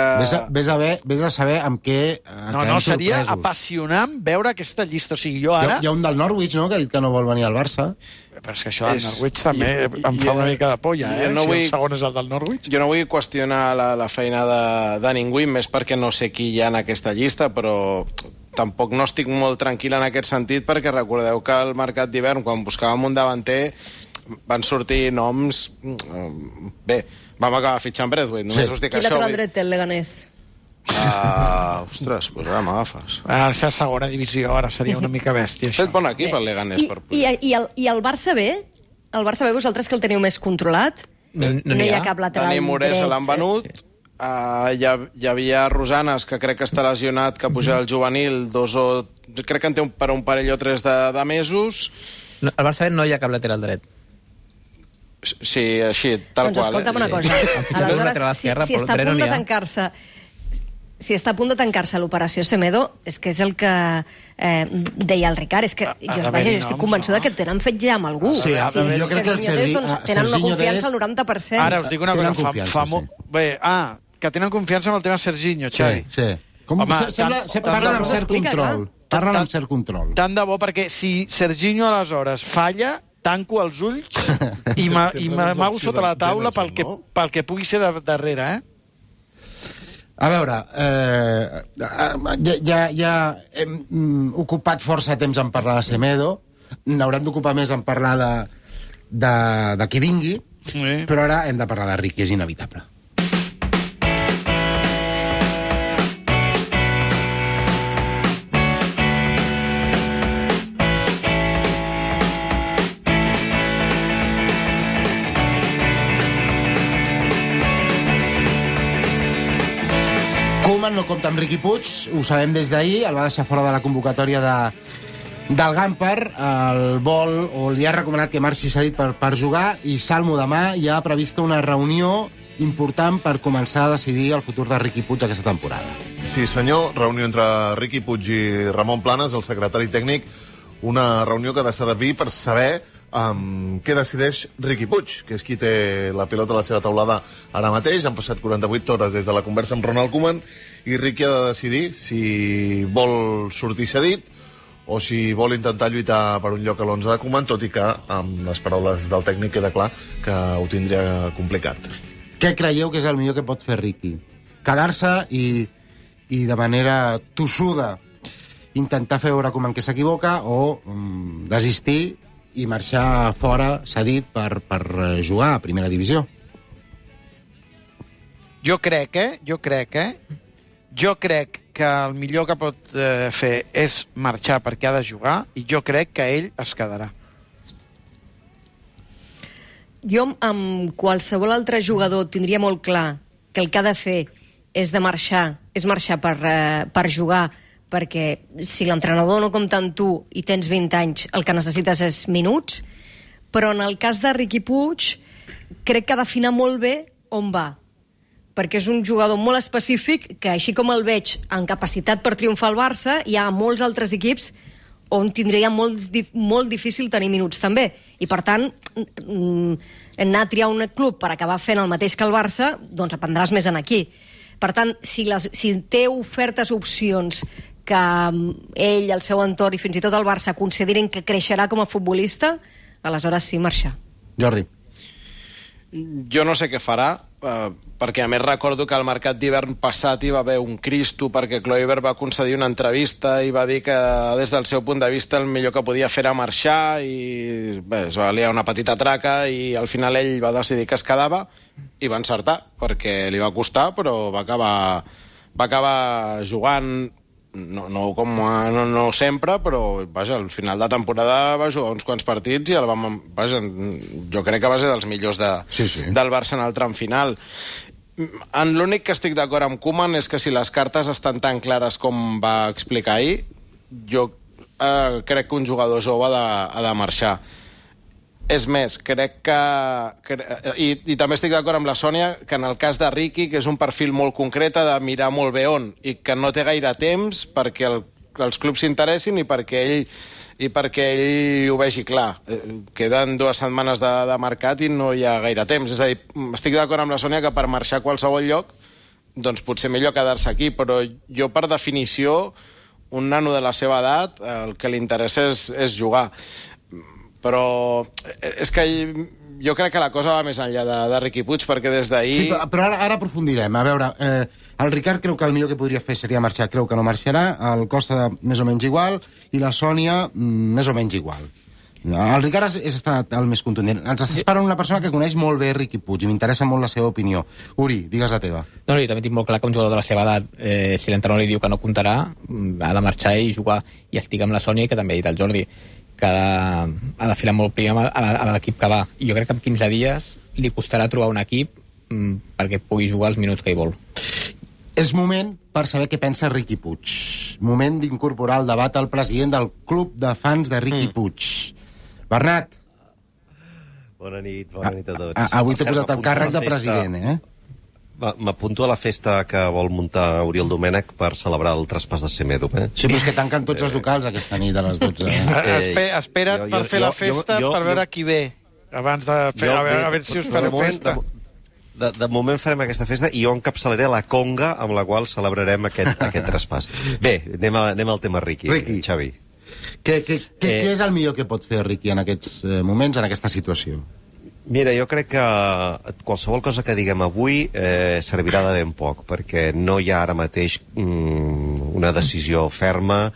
Vés a saber amb què... No, seria apassionant veure aquesta llista. O sigui, jo ara... Hi ha un del Norwich, no?, que ha dit que no vol venir al Barça. Però és que això del Norwich també em fa una mica de polla, si el segon és el del Norwich. Jo no vull qüestionar la feina de ningú, més perquè no sé qui hi ha en aquesta llista, però tampoc no estic molt tranquil en aquest sentit, perquè recordeu que al mercat d'hivern, quan buscàvem un davanter, van sortir noms... Bé, vam acabar fitxant Braithwaite, només us dic això. Qui lateral dret té el Leganés? Ostres, doncs ara m'agafes. Ara és la segona divisió, ara seria una mica bèstia. Fet bon equip el Leganés per pujar. I el Barça B? El Barça B, vosaltres que el teniu més controlat? No hi ha cap lateral dret. Dani Moré se l'han venut. Hi havia Rosanes, que crec que està lesionat, que puja al juvenil, crec que en té per un parell o 3 de mesos. Al Barça B no hi ha cap lateral dret. Sí, així, tal qual. Doncs escolta'm una cosa. Aleshores, si està a punt de tancar-se... Si està a punt de tancar-se l'operació Semedo, és que és el que deia el Ricard, és que jo estic convençuda que tenen fet ja amb algú. Sí, jo crec que el tenen una confiança al 90%. Ara us dic una cosa, que tenen confiança amb el tema Serginho, Xavi. Sí. Parlen amb cert control. Parlen amb cert control. Tant de bo, perquè si Serginho aleshores falla, tanco els ulls i m'amago sota la taula pel que pugui ser darrere, A veure, ja hem ocupat força temps en parlar de Semedo, n'haurem d'ocupar més en parlar de qui vingui, però ara hem de parlar de Riqui, és inevitable. Koeman no compta amb Riqui Puig, ho sabem des d'ahir, el va deixar fora de la convocatòria del Gamper, el vol, o li ha recomanat que marxi cedit per jugar, i Salmo demà ja ha prevista una reunió important per començar a decidir el futur de Riqui Puig aquesta temporada. Sí, senyor, reunió entre Riqui Puig i Ramon Planes, el secretari tècnic, una reunió que ha de servir per saber què decideix Riqui Puig, que és qui té la pilota a la seva taulada ara mateix. Han passat 48 hores des de la conversa amb Ronald Koeman i Riqui ha de decidir si vol sortir cedit o si vol intentar lluitar per un lloc a l'11 de Koeman, tot i que amb les paraules del tècnic queda clar que ho tindria complicat. Què creieu que és el millor que pot fer Riqui? Quedar-se i i de manera tossuda intentar fer veure com en què s'equivoca o desistir i marxar fora, cedit, per jugar a primera divisió. Jo crec que el millor que pot fer és marxar perquè ha de jugar i jo crec que ell es quedarà. Jo amb qualsevol altre jugador tindria molt clar que el que ha de fer és marxar per jugar, perquè si l'entrenador no compta amb tu i tens 20 anys, el que necessites és minuts, però en el cas de Riqui Puig crec que ha d'afinar molt bé on va, perquè és un jugador molt específic que, així com el veig en capacitat per triomfar al Barça, hi ha molts altres equips on tindria molt difícil tenir minuts també. I, per tant, anar a triar un club per acabar fent el mateix que el Barça, doncs aprendràs més en aquí. Per tant, si té ofertes, opcions que ell, el seu entorn i fins i tot el Barça considerin que creixerà com a futbolista, aleshores sí, marxar. Jordi. Jo no sé què farà, perquè a més recordo que al mercat d'hivern passat hi va haver un Cristo perquè Kluivert va concedir una entrevista i va dir que des del seu punt de vista el millor que podia fer era marxar i bé, es va liar una petita traca i al final ell va decidir que es quedava i va encertar, perquè li va costar però va acabar jugant no sempre, però vaja, al final de temporada va jugar uns quants partits i jo crec que va ser dels millors del Barça en el tram final. L'únic que estic d'acord amb Koeman és que si les cartes estan tan clares com va explicar ahir, jo crec que un jugador jove ha de marxar. És més, crec que... I també estic d'acord amb la Sònia que en el cas de Riqui, que és un perfil molt concret, ha de mirar molt bé on, i que no té gaire temps perquè els clubs s'interessin i perquè ell ho vegi clar. Queden 2 setmanes de mercat i no hi ha gaire temps. És a dir, estic d'acord amb la Sònia que per marxar a qualsevol lloc doncs potser millor quedar-se aquí, però jo per definició un nano de la seva edat el que li interessa és jugar. Però és que jo crec que la cosa va més enllà de Riqui Puig, perquè des d'ahir... Sí, però ara aprofundirem. A veure, el Ricard creu que el millor que podria fer seria marxar, creu que no marxarà, el Costa més o menys igual, i la Sònia més o menys igual. El Ricard és estat el més contundent. Ens estàs parlant una persona que coneix molt bé Riqui Puig i m'interessa molt la seva opinió. Uri, digues la teva. No, jo també tinc molt clar que un jugador de la seva edat, si l'entrenador li diu que no comptarà, ha de marxar i jugar. I estic amb la Sònia, que també ha dit el Jordi, que ha de filar molt primer a l'equip que va. I jo crec que en 15 dies li costarà trobar un equip perquè pugui jugar els minuts que hi vol. És moment per saber què pensa Riqui Puig. Moment d'incorporar al debat el president del club de fans de Riqui Puig. Bernat. Bona nit a tots. Avui t'he posat el càrrec de president, M'apunto a la festa que vol muntar Oriol Domènech per celebrar el traspàs de Semedo. Sí, però és que tanquen tots els locals aquesta nit a les 12. Espera't per fer la festa per veure qui ve, abans de fer... A veure si us fareu festa. De moment farem aquesta festa i jo encapçalaré la conga amb la qual celebrarem aquest traspàs. Bé, anem al tema Riqui, Xavi. Què és el millor que pot fer Riqui en aquests moments, en aquesta situació? Mira, jo crec que qualsevol cosa que diguem avui servirà de ben poc, perquè no hi ha ara mateix una decisió ferma.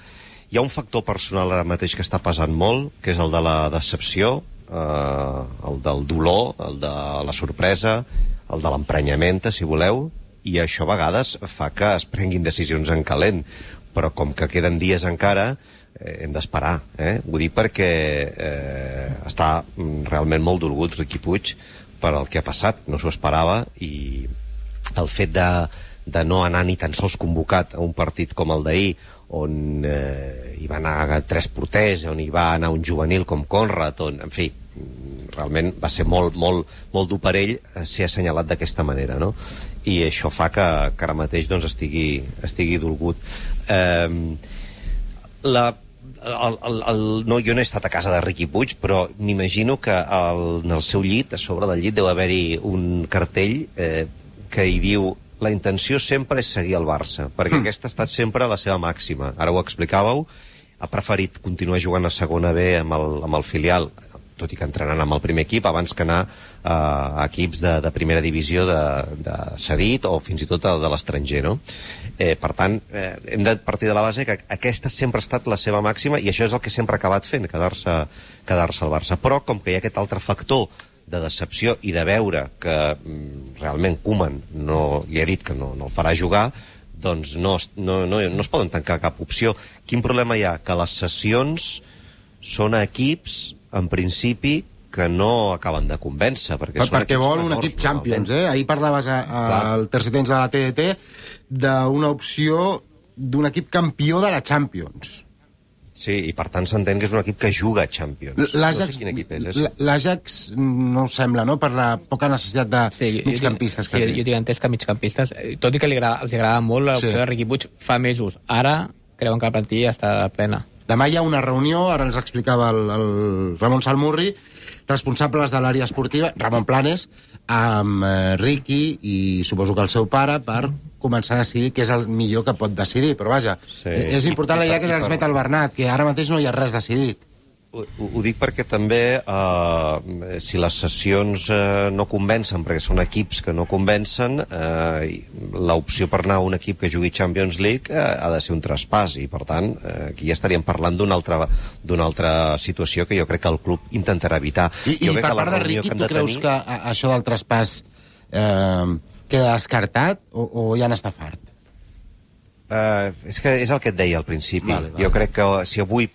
Hi ha un factor personal ara mateix que està pesant molt, que és el de la decepció, el del dolor, el de la sorpresa, el de l'emprenyament, si voleu, i això a vegades fa que es prenguin decisions en calent. Però com que queden dies encara, hem d'esperar, Vull dir perquè està realment molt dolgut Riqui Puig per el que ha passat, no s'ho esperava, i el fet de no anar ni tan sols convocat a un partit com el d'ahir, on hi va anar 3 porters, on hi va anar un juvenil com Conrad, en fi, realment va ser molt dur per ell ser assenyalat d'aquesta manera, no? I això fa que ara mateix doncs, estigui dolgut. Jo no he estat a casa de Riqui Puig, però m'imagino que en el seu llit, a sobre del llit, deu haver-hi un cartell que hi diu: la intenció sempre és seguir el Barça, perquè aquesta ha estat sempre la seva màxima. Ara ho explicàveu, ha preferit continuar jugant a segona B amb el filial. tot i que entrenant amb el primer equip, abans que anar a equips de primera divisió de cedit o fins i tot de l'estranger, no? Per tant, hem de partir de la base que aquesta sempre ha estat la seva màxima i això és el que sempre ha acabat fent, quedar-se al Barça. Però, com que hi ha aquest altre factor de decepció i de veure que realment Koeman li ha dit que no el farà jugar, doncs no es poden tancar cap opció. Quin problema hi ha? Que les sessions són equips, en principi, que no acaben de convèncer. Perquè vol un equip Champions, eh? Ahir parlaves al tercer temps de la TDT d'una opció d'un equip campió de la Champions. Sí, i per tant s'entén que és un equip que juga a Champions. No sé quin equip és. L'Ajax no ho sembla, no?, per la poca necessitat de migcampistes que té. Jo tinc entès que migcampistes, tot i que els agrada molt l'opció de Riqui Puig fa mesos. Ara creuen que la plantilla està plena. Demà hi ha una reunió, ara ens explicava el Ramon Salmurri, responsables de l'àrea esportiva, Ramon Planes, amb Riqui i suposo que el seu pare, per començar a decidir què és el millor que pot decidir. Però vaja, és important la idea que transmet el Bernat, que ara mateix no hi ha res decidit. Ho dic perquè també si les sessions no convencen, perquè són equips que no convencen, l'opció per anar a un equip que jugui Champions League ha de ser un traspàs, i per tant aquí ja estaríem parlant d'una altra situació que jo crec que el club intentarà evitar. I per part de Riqui, tu creus que això del traspàs queda descartat o ja n'està fart? És el que et deia al principi. Jo crec que si avui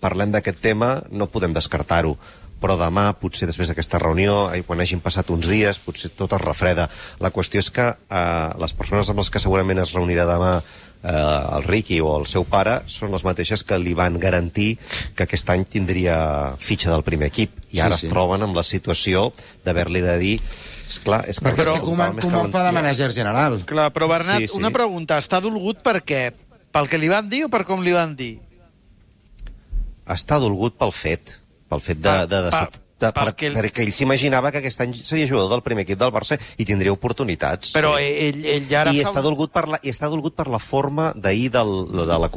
parlem d'aquest tema no podem descartar-ho, però demà, potser després d'aquesta reunió, quan hagin passat uns dies, potser tot es refreda. La qüestió és que les persones amb les que segurament es reunirà demà el Riqui o el seu pare són les mateixes que li van garantir que aquest any tindria fitxa del primer equip, i ara es troben amb la situació d'haver-li de dir perquè és que Koeman fa de manager general. Clar, però Bernat, una pregunta, està dolgut per què? Pel que li van dir o per com li van dir? Està dolgut pel fet perquè ell s'imaginava que aquest any seria jugador del primer equip del Barça i tindria oportunitats. Però ell ja ara està dolgut per la forma d'ahir de la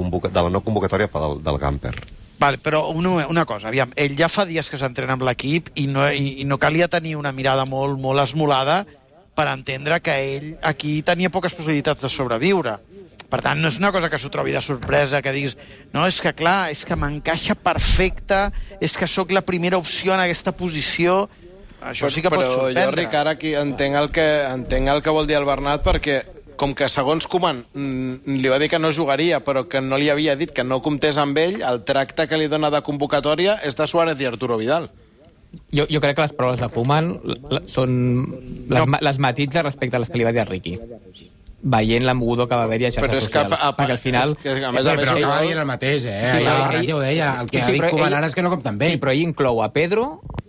no convocatòria del Gamper. Vale, però una cosa, aviam, ell ja fa dies que s'entrena amb l'equip i no calia tenir una mirada molt, molt esmolada per entendre que ell aquí tenia poques possibilitats de sobreviure. Per tant, no és una cosa que s'ho trobi de sorpresa, que diguis, no, és que clar, és que m'encaixa perfecte, és que sóc la primera opció en aquesta posició. Això sí que pot sorprendre. Però jo, Ricard, aquí entenc el que vol dir el Bernat, perquè com que segons Koeman li va dir que no jugaria, però que no li havia dit que no comptés amb ell, el tracte que li dona de convocatòria és de Suárez i Arturo Vidal. Jo crec que les paraules de Koeman són les matitza respecte a les que li va dir a Riqui, veient l'embudor que va haver-hi a xarxes socials. Perquè al final... Però acaba dient el mateix, eh? Ja ho deia, el que ha dit Koeman ara és que no compta amb ell. Sí, però ell inclou a Pedri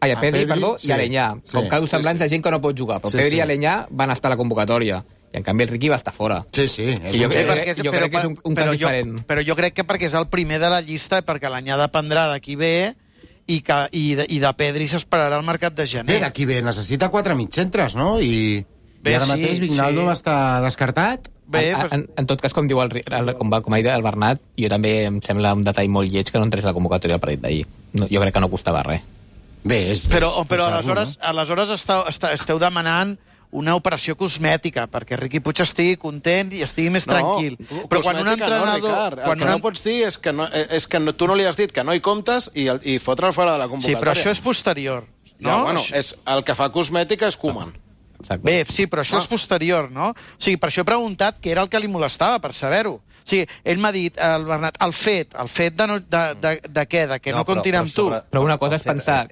i Alenyà, com casos semblants de gent que no pot jugar. Però Pedri i Alenyà van estar a la convocatòria. I en canvi el Riqui va estar fora. Sí. Jo crec que és un cas diferent. Però jo crec que perquè és el primer de la llista, perquè l'Anyà dependrà d'aquí ve i de Pedri s'esperarà al mercat de gener. Bé, d'aquí ve, necessita 4 mitjentres, no? I ara mateix Vignaldo està descartat. En tot cas, com ha dit el Bernat, jo també em sembla un detall molt lleig que no entrés a la convocatòria al partit d'ahir. Jo crec que no costava res. Però aleshores esteu demanant una operació cosmètica, perquè Riqui Puig estigui content i estigui més tranquil. Però quan un entrenador... El que no pots dir és que tu no li has dit que no hi comptes i fotre'l fora de la convocatòria. Sí, però això és posterior. El que fa cosmètica és Koeman. Bé, sí, però això és posterior, no? O sigui, per això he preguntat què era el que li molestava, per saber-ho. O sigui, ell m'ha dit, el Bernat, el fet de què? De que no comptin amb tu. Però una cosa és pensar...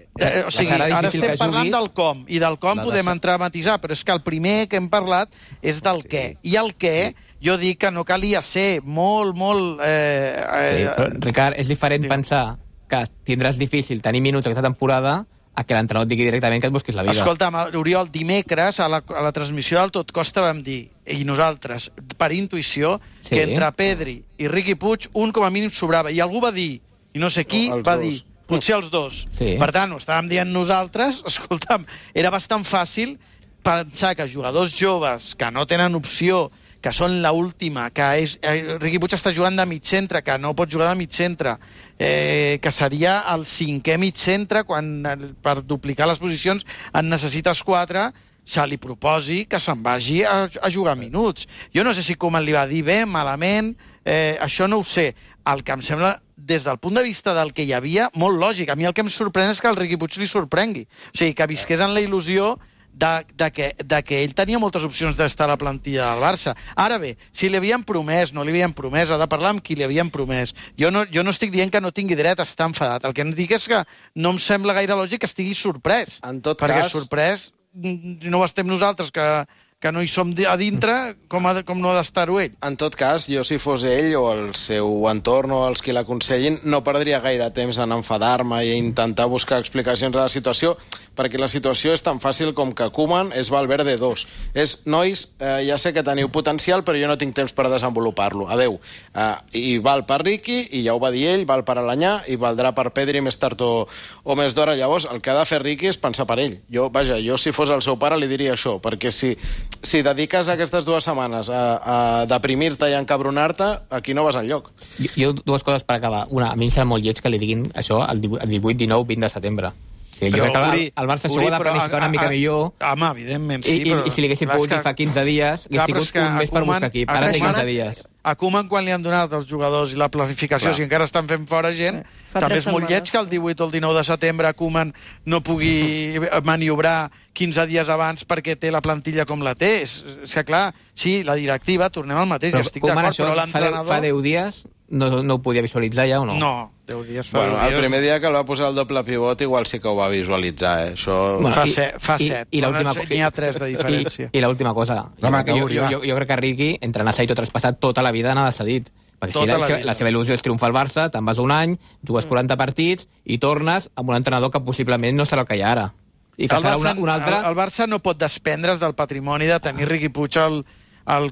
O sigui, ara estem parlant del com, i del com podem entrar a matisar, però és que el primer que hem parlat és del què. I el què, jo dic que no calia ser molt... Sí, però, Ricard, és diferent pensar que tindràs difícil tenir minuts aquesta temporada a que l'entrenador et digui directament que et busquis la vida. Escolta'm, Oriol, dimecres a la transmissió del Tot Costa vam dir, i nosaltres, per intuïció, que entre Pedri i Riqui Puig un com a mínim sobrava. I algú va dir, i no sé qui, va dir, potser els dos. Per tant, ho estàvem dient nosaltres, escolta'm, era bastant fàcil pensar que jugadors joves que no tenen opció, que són l'última, que Riqui Puig està jugant de mig centre, que no pot jugar de mig centre, que seria el 5è mig centre, quan per duplicar les posicions en necessites 4, se li proposi que se'n vagi a jugar minuts. Jo no sé si Koeman li va dir bé, malament, això no ho sé. El que em sembla, des del punt de vista del que hi havia, molt lògic. A mi el que em sorprèn és que el Riqui Puig li sorprengui. O sigui, que visqués en la il·lusió de que ell tenia moltes opcions d'estar a la plantilla del Barça. Ara bé, si li havien promès, no li havien promès, ha de parlar amb qui li havien promès. Jo no estic dient que no tingui dret a estar enfadat. El que em dic és que no em sembla gaire lògic que estigui sorprès. En tot perquè cas... sorprès no ho estem nosaltres, que no hi som a dintre, com no ha d'estar-ho ell. En tot cas, jo si fos ell o el seu entorn o els qui l'aconsellin, no perdria gaire temps en enfadar-me i intentar buscar explicacions a la situació, perquè la situació és tan fàcil com que Koeman és Valverde 2. És, nois, ja sé que teniu potencial, però jo no tinc temps per desenvolupar-lo. Adeu. I val per Riqui, i ja ho va dir ell, val per Alanyà, i valdrà per Pedri més tard o més d'hora. Llavors, el que ha de fer Riqui és pensar per ell. Jo si fos el seu pare li diria això, perquè si dediques aquestes 2 setmanes a deprimir-te i a encabronar-te, aquí no vas enlloc. Jo 2 coses per acabar. Una, a mi em sembla molt lleig que li diguin això el 18, 19, 20 de setembre. Jo crec que el Barça s'ho ha de planificar una mica millor. Home, evidentment, sí, I si li haguessin pogut dir fa 15 dies, hagués tingut un mes per buscar equip. Ara té 15 dies. A Koeman, quan li han donat els jugadors i la planificació, si encara estan fent fora gent, també és molt lleig que el 18 o el 19 de setembre Koeman no pugui maniobrar 15 dies abans perquè té la plantilla com la té. És que, clar, sí, la directiva, tornem al mateix, estic d'acord, però l'entrenador... Fa 10 dies no ho podia visualitzar ja o no? No, 10 dies fa 10 dies. El primer dia que el va posar el doble pivot igual sí que ho va visualitzar, Això... Fa 7, n'hi ha 3 de diferència. I l'última cosa, jo crec que Riqui, entre anar-se i tot traspassat, tota la vida n'ha cedit. Perquè si la seva il·lusió és triomfar al Barça, te'n vas un any, jugues 40 partits i tornes amb un entrenador que possiblement no serà el que hi ha ara. I que serà un altre... El Barça no pot desprendre's del patrimoni de tenir Riqui Puig al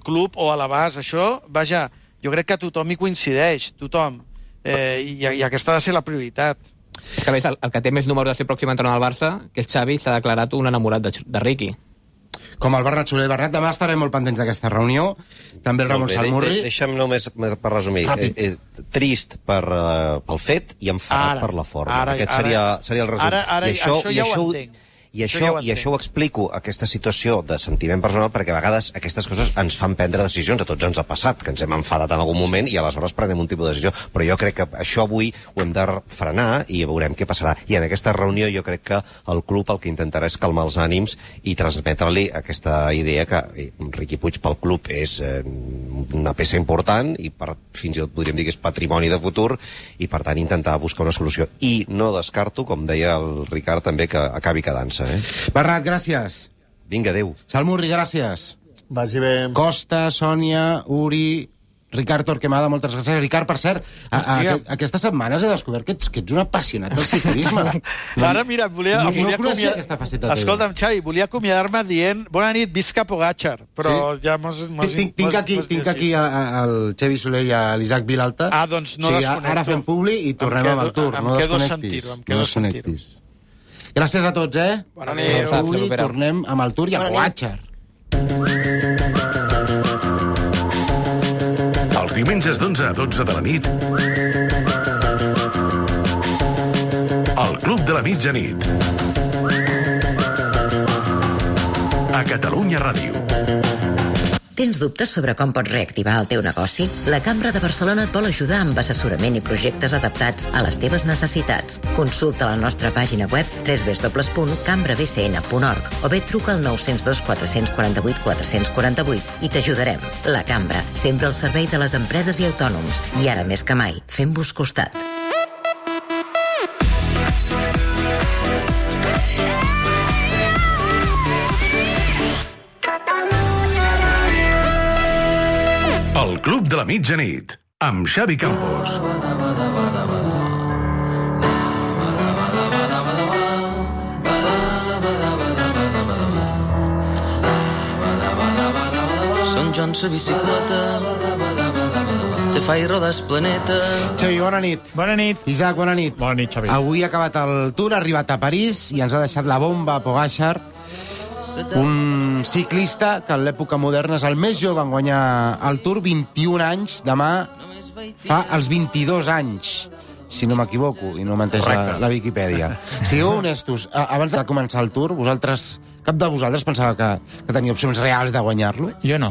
club o a l'abast. Això, vaja, jo crec que tothom hi coincideix, tothom. I aquesta ha de ser la prioritat. És que, a més, el que té més números de ser pròxim entrenador del Barça, que és Xavi, s'ha declarat un enamorat de Riqui. Com el Bernat Soler. Bernat, demà estarem molt pendents d'aquesta reunió. També el Ramon Salmurri. Deixa'm només per resumir. Trist pel fet i enfadat per la forma. Aquest seria el resum. Això ja ho entenc. I això ho explico, aquesta situació de sentiment personal, perquè a vegades aquestes coses ens fan prendre decisions, a tots ens ha passat, que ens hem enfadat en algun moment i aleshores prenem un tipus de decisió. Però jo crec que això avui ho hem de frenar i veurem què passarà. I en aquesta reunió jo crec que el club el que intentarà és calmar els ànims i transmetre-li aquesta idea que Riqui Puig pel club és una peça important i fins i tot podríem dir que és patrimoni de futur i per tant intentar buscar una solució. I no descarto, com deia el Ricard també, que acabi quedant-se. Bernat, gràcies. Vinga, adéu. Salmurri, gràcies. Vagi bé. Costa, Sònia, Uri, Ricard Torquemada, moltes gràcies. Ricard, per cert, aquestes setmanes he descobert que ets un apassionat del ciclisme. Ara, mira, volia conèixer aquesta faceta teva. Escolta'm, Xavi, volia acomiadar-me dient bona nit, visca Pogacar, però ja Tinc aquí el Xavi Soler i l'Isaac Vilalta. Doncs no desconnecto. Ara fem publi i tornem amb el Tour. No desconnectis. Gràcies a tots, Bona nit. Avui tornem amb el Tour i el Pogacar. Els diumenges d'11 a 12 de la nit, el Club de la Mitjanit. A Catalunya Ràdio. Tens dubtes sobre com pots reactivar el teu negoci? La Cambra de Barcelona et vol ajudar amb assessorament i projectes adaptats a les teves necessitats. Consulta la nostra pàgina web www.cambrabcn.org o bé truca al 902 448 448 i t'ajudarem. La Cambra, sempre al servei de les empreses i autònoms. I ara més que mai, fem-vos costat. El Club de la Mitjanit, amb Xavi Campos. Són Joan sa bicicleta, te fa i rodes planeta. Xavi, bona nit. Bona nit. Isaac, bona nit. Bona nit, Xavi. Avui ha acabat el Tour, ha arribat a París i ens ha deixat la bomba a Pogacar. Un ciclista que en l'època moderna és el més jove en guanyar el Tour, 21 anys, demà fa els 22 anys, si no m'equivoco, i no menteix la Viquipèdia. Sigueu honestos, abans de començar el Tour, cap de vosaltres pensava que tenia opcions reals de guanyar-lo? Jo no.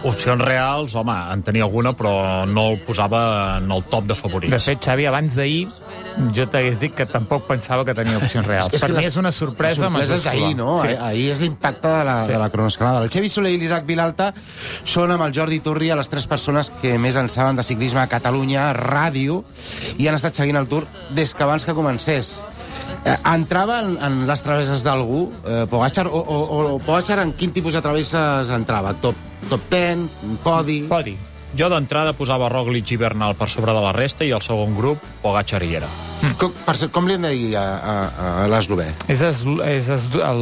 Opcions reals, home, en tenia alguna, però no el posava en el top de favorits. De fet, Xavi, abans d'ahir jo t'hagués dit que tampoc pensava que tenia opcions reals. Per mi és una sorpresa majúscula. La sorpresa és d'ahir, no? Sí. Ahir és l'impacte de la cronoescalada. El Xavi Soler i l'Isaac Vilalta són amb el Jordi Turria les 3 persones que més en saben de ciclisme a Catalunya, ràdio, i han estat seguint el Tour des que abans que comencés. Entrava en les travesses d'algú, Pogačar, o Pogačar en quin tipus de travesses entrava? Top 10, podi? Podi. Jo d'entrada posava Roglic i Bernal per sobre de la resta i el segon grup, Pogačar hi era. Com li hem de dir a l'eslovè?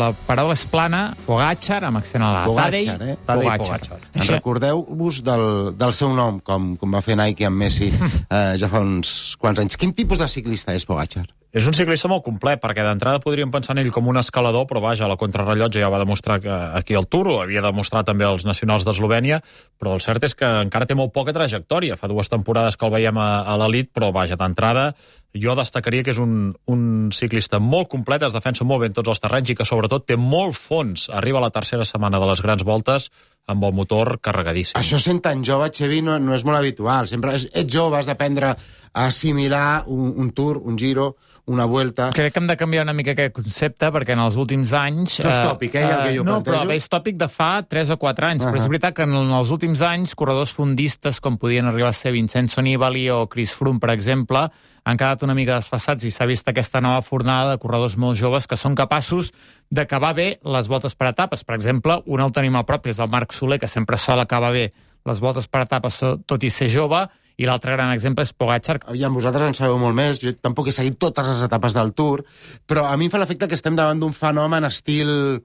La paraula és plana, Pogačar, amb accent a la. Pogačar, Tadej Pogačar. Recordeu-vos del seu nom, com va fer Nike amb Messi ja fa uns quants anys. Quin tipus de ciclista és Pogačar? És un ciclista molt complet, perquè d'entrada podríem pensar en ell com un escalador, però vaja, la contrarrellotge ja va demostrar que aquí al Tour, ho havia demostrat també els nacionals d'Eslovènia, però el cert és que encara té molt poca trajectòria. Fa 2 temporades que el veiem a l'elit, però vaja, d'entrada jo destacaria que és un ciclista molt complet, es defensa molt bé en tots els terrenys i que sobretot té molt fons. Arriba a la tercera setmana de les grans voltes amb el motor carregadíssim. Això sent tan jove, Xavi, no és molt habitual. Sempre ets jove, has d'aprendre a assimilar un Tour, un Giro, una Vuelta. Crec que hem de canviar una mica aquest concepte, perquè en els últims anys... Això és tòpic, el que jo no, plantejo. però és tòpic de fa 3 o 4 anys, però és veritat que en els últims anys corredors fondistes, com podien arribar a ser Vincenzo Nibali o Chris Froome, per exemple, han quedat una mica desfassats i s'ha vist aquesta nova fornada de corredors molt joves que són capaços d'acabar bé les voltes per etapes. Per exemple, un el tenim al propi, és el Marc Soler, que sempre sol acabar bé les voltes per etapes, tot i ser jove, i l'altre gran exemple és Pogačar. Aviam, vosaltres en sabeu molt més, jo tampoc he seguit totes les etapes del Tour, però a mi em fa l'efecte que estem davant d'un fenomen estil...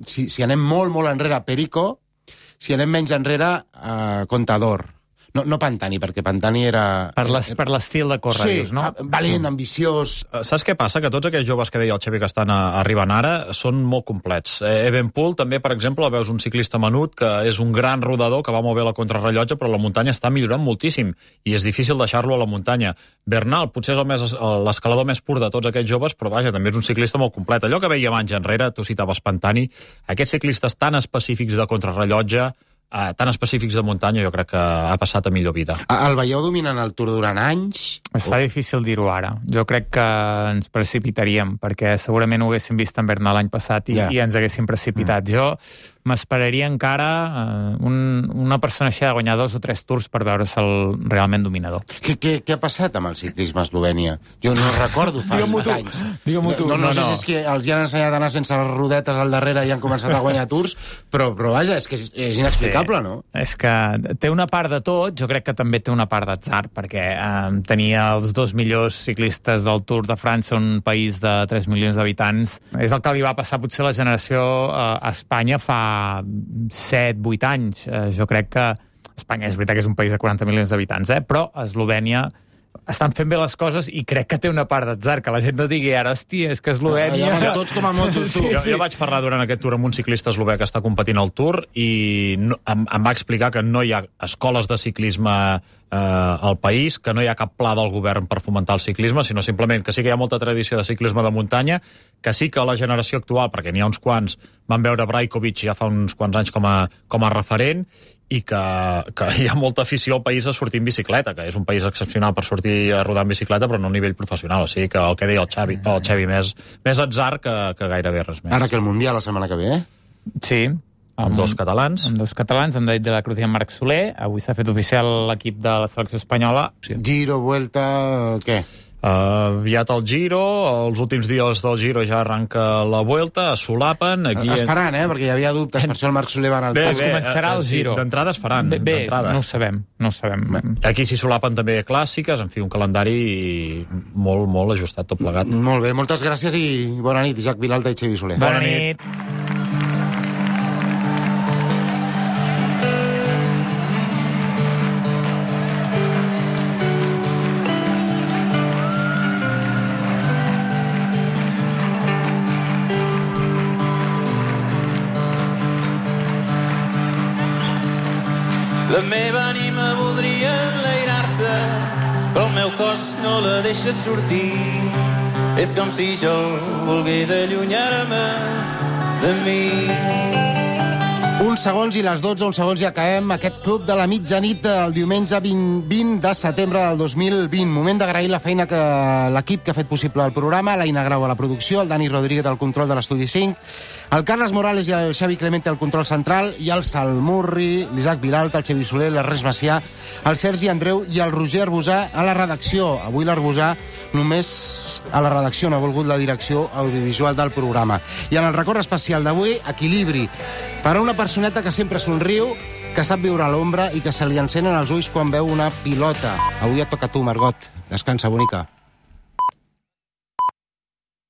Si anem molt, molt enrere, Perico, si anem menys enrere, Contador. No Pantani, perquè Pantani era... Per l'estil de córrer, dius, no? Valent, ambiciós... Saps què passa? Que tots aquells joves que deia el Xavi que estan arribant ara són molt complets. Evenepoel, també, per exemple, veus un ciclista menut que és un gran rodador, que va molt bé la contrarrellotge, però la muntanya està millorant moltíssim i és difícil deixar-lo a la muntanya. Bernal, potser és l'escalador més pur de tots aquests joves, però vaja, també és un ciclista molt complet. Allò que veiem anys enrere, tu citaves Pantani, aquests ciclistes tan específics de contrarrellotge, tan específics de muntanya, jo crec que ha passat a millor vida. El veieu dominant el Tour durant anys? Es fa difícil dir-ho ara. Jo crec que ens precipitaríem, perquè segurament ho haguéssim vist en Bernal l'any passat i ens haguéssim precipitat. Jo m'esperaria encara una persona així de guanyar 2 o 3 tours per veure-se'l realment dominador. Què ha passat amb el ciclisme a Eslovènia? Jo no recordo fa anys. Digue-m'ho tu. No sé si és que els hi han ensenyat a anar sense rodetes al darrere i han començat a guanyar tours, però vaja, és que és inexplicable, no? És que té una part de tot, jo crec que també té una part d'atzar, perquè tenia els 2 millors ciclistes del Tour de França, un país de 3 milions d'habitants, és el que li va passar potser la generació a Espanya fa 7-8 anys. Jo crec que Espanya és veritat que és un país de 40 milions d'habitants, però a Eslovènia estan fent bé les coses i crec que té una part d'atzar, que la gent no digui ara, hòstia, és que Eslovènia... Ja van tots com a motos, tu. Jo vaig parlar durant aquest Tour amb un ciclista eslovè que està competint al Tour i em va explicar que no hi ha escoles de ciclisme al país, que no hi ha cap pla del govern per fomentar el ciclisme, sinó simplement que sí que hi ha molta tradició de ciclisme de muntanya, que sí que la generació actual, perquè n'hi ha uns quants, van veure Brajkovic ja fa uns quants anys com a referent, i que hi ha molta afició al país a sortir en bicicleta, que és un país excepcional per sortir a rodar en bicicleta, però no a nivell professional. O sigui que el que deia el Xavi més atzar que gairebé res més. Ara que el Mundial la setmana que ve, Sí. Amb 2 catalans. Amb 2 catalans, amb David de la Cruz i amb Marc Soler. Avui s'ha fet oficial l'equip de la selecció espanyola. Giro, Vuelta, què? Aviat el Giro, els últims dies del Giro ja arranca la Vuelta, es solapen... Es faran, perquè hi havia dubtes, per això el Marc Soler va anar al Es començarà el Giro. D'entrada es faran. Bé, no ho sabem. Aquí s'hi solapen també clàssiques, en fi, un calendari molt, molt ajustat tot plegat. Molt bé, moltes gràcies i bona nit, Isaac Vilalta i Xavi Soler. Bona nit. La meva ànima voldria enlairar-se, però el meu cos no la deixa sortir. És com si jo volgués allunyar-me de mi. Uns segons i les 12, uns segons i acabem aquest club de la mitjanit el diumenge 20 de setembre del 2020. Moment d'agrair la feina que l'equip que ha fet possible el programa, l'Aina Grau a la producció, el Dani Rodríguez al control de l'Estudi 5, el Carles Morales i el Xavi Clemente al control central, i el Salmurri, l'Isaac Vilalta, el Xavi Soler, l'Ernest Macià, el Sergi Andreu i el Roger Arbusà a la redacció. Avui l'Arbusà només a la redacció, no ha volgut la direcció audiovisual del programa. I en el record especial d'avui, equilibri per a una personeta que sempre somriu, que sap viure a l'ombra i que se li encenen els ulls quan veu una pilota. Avui et toca a tu, Margot. Descansa, bonica.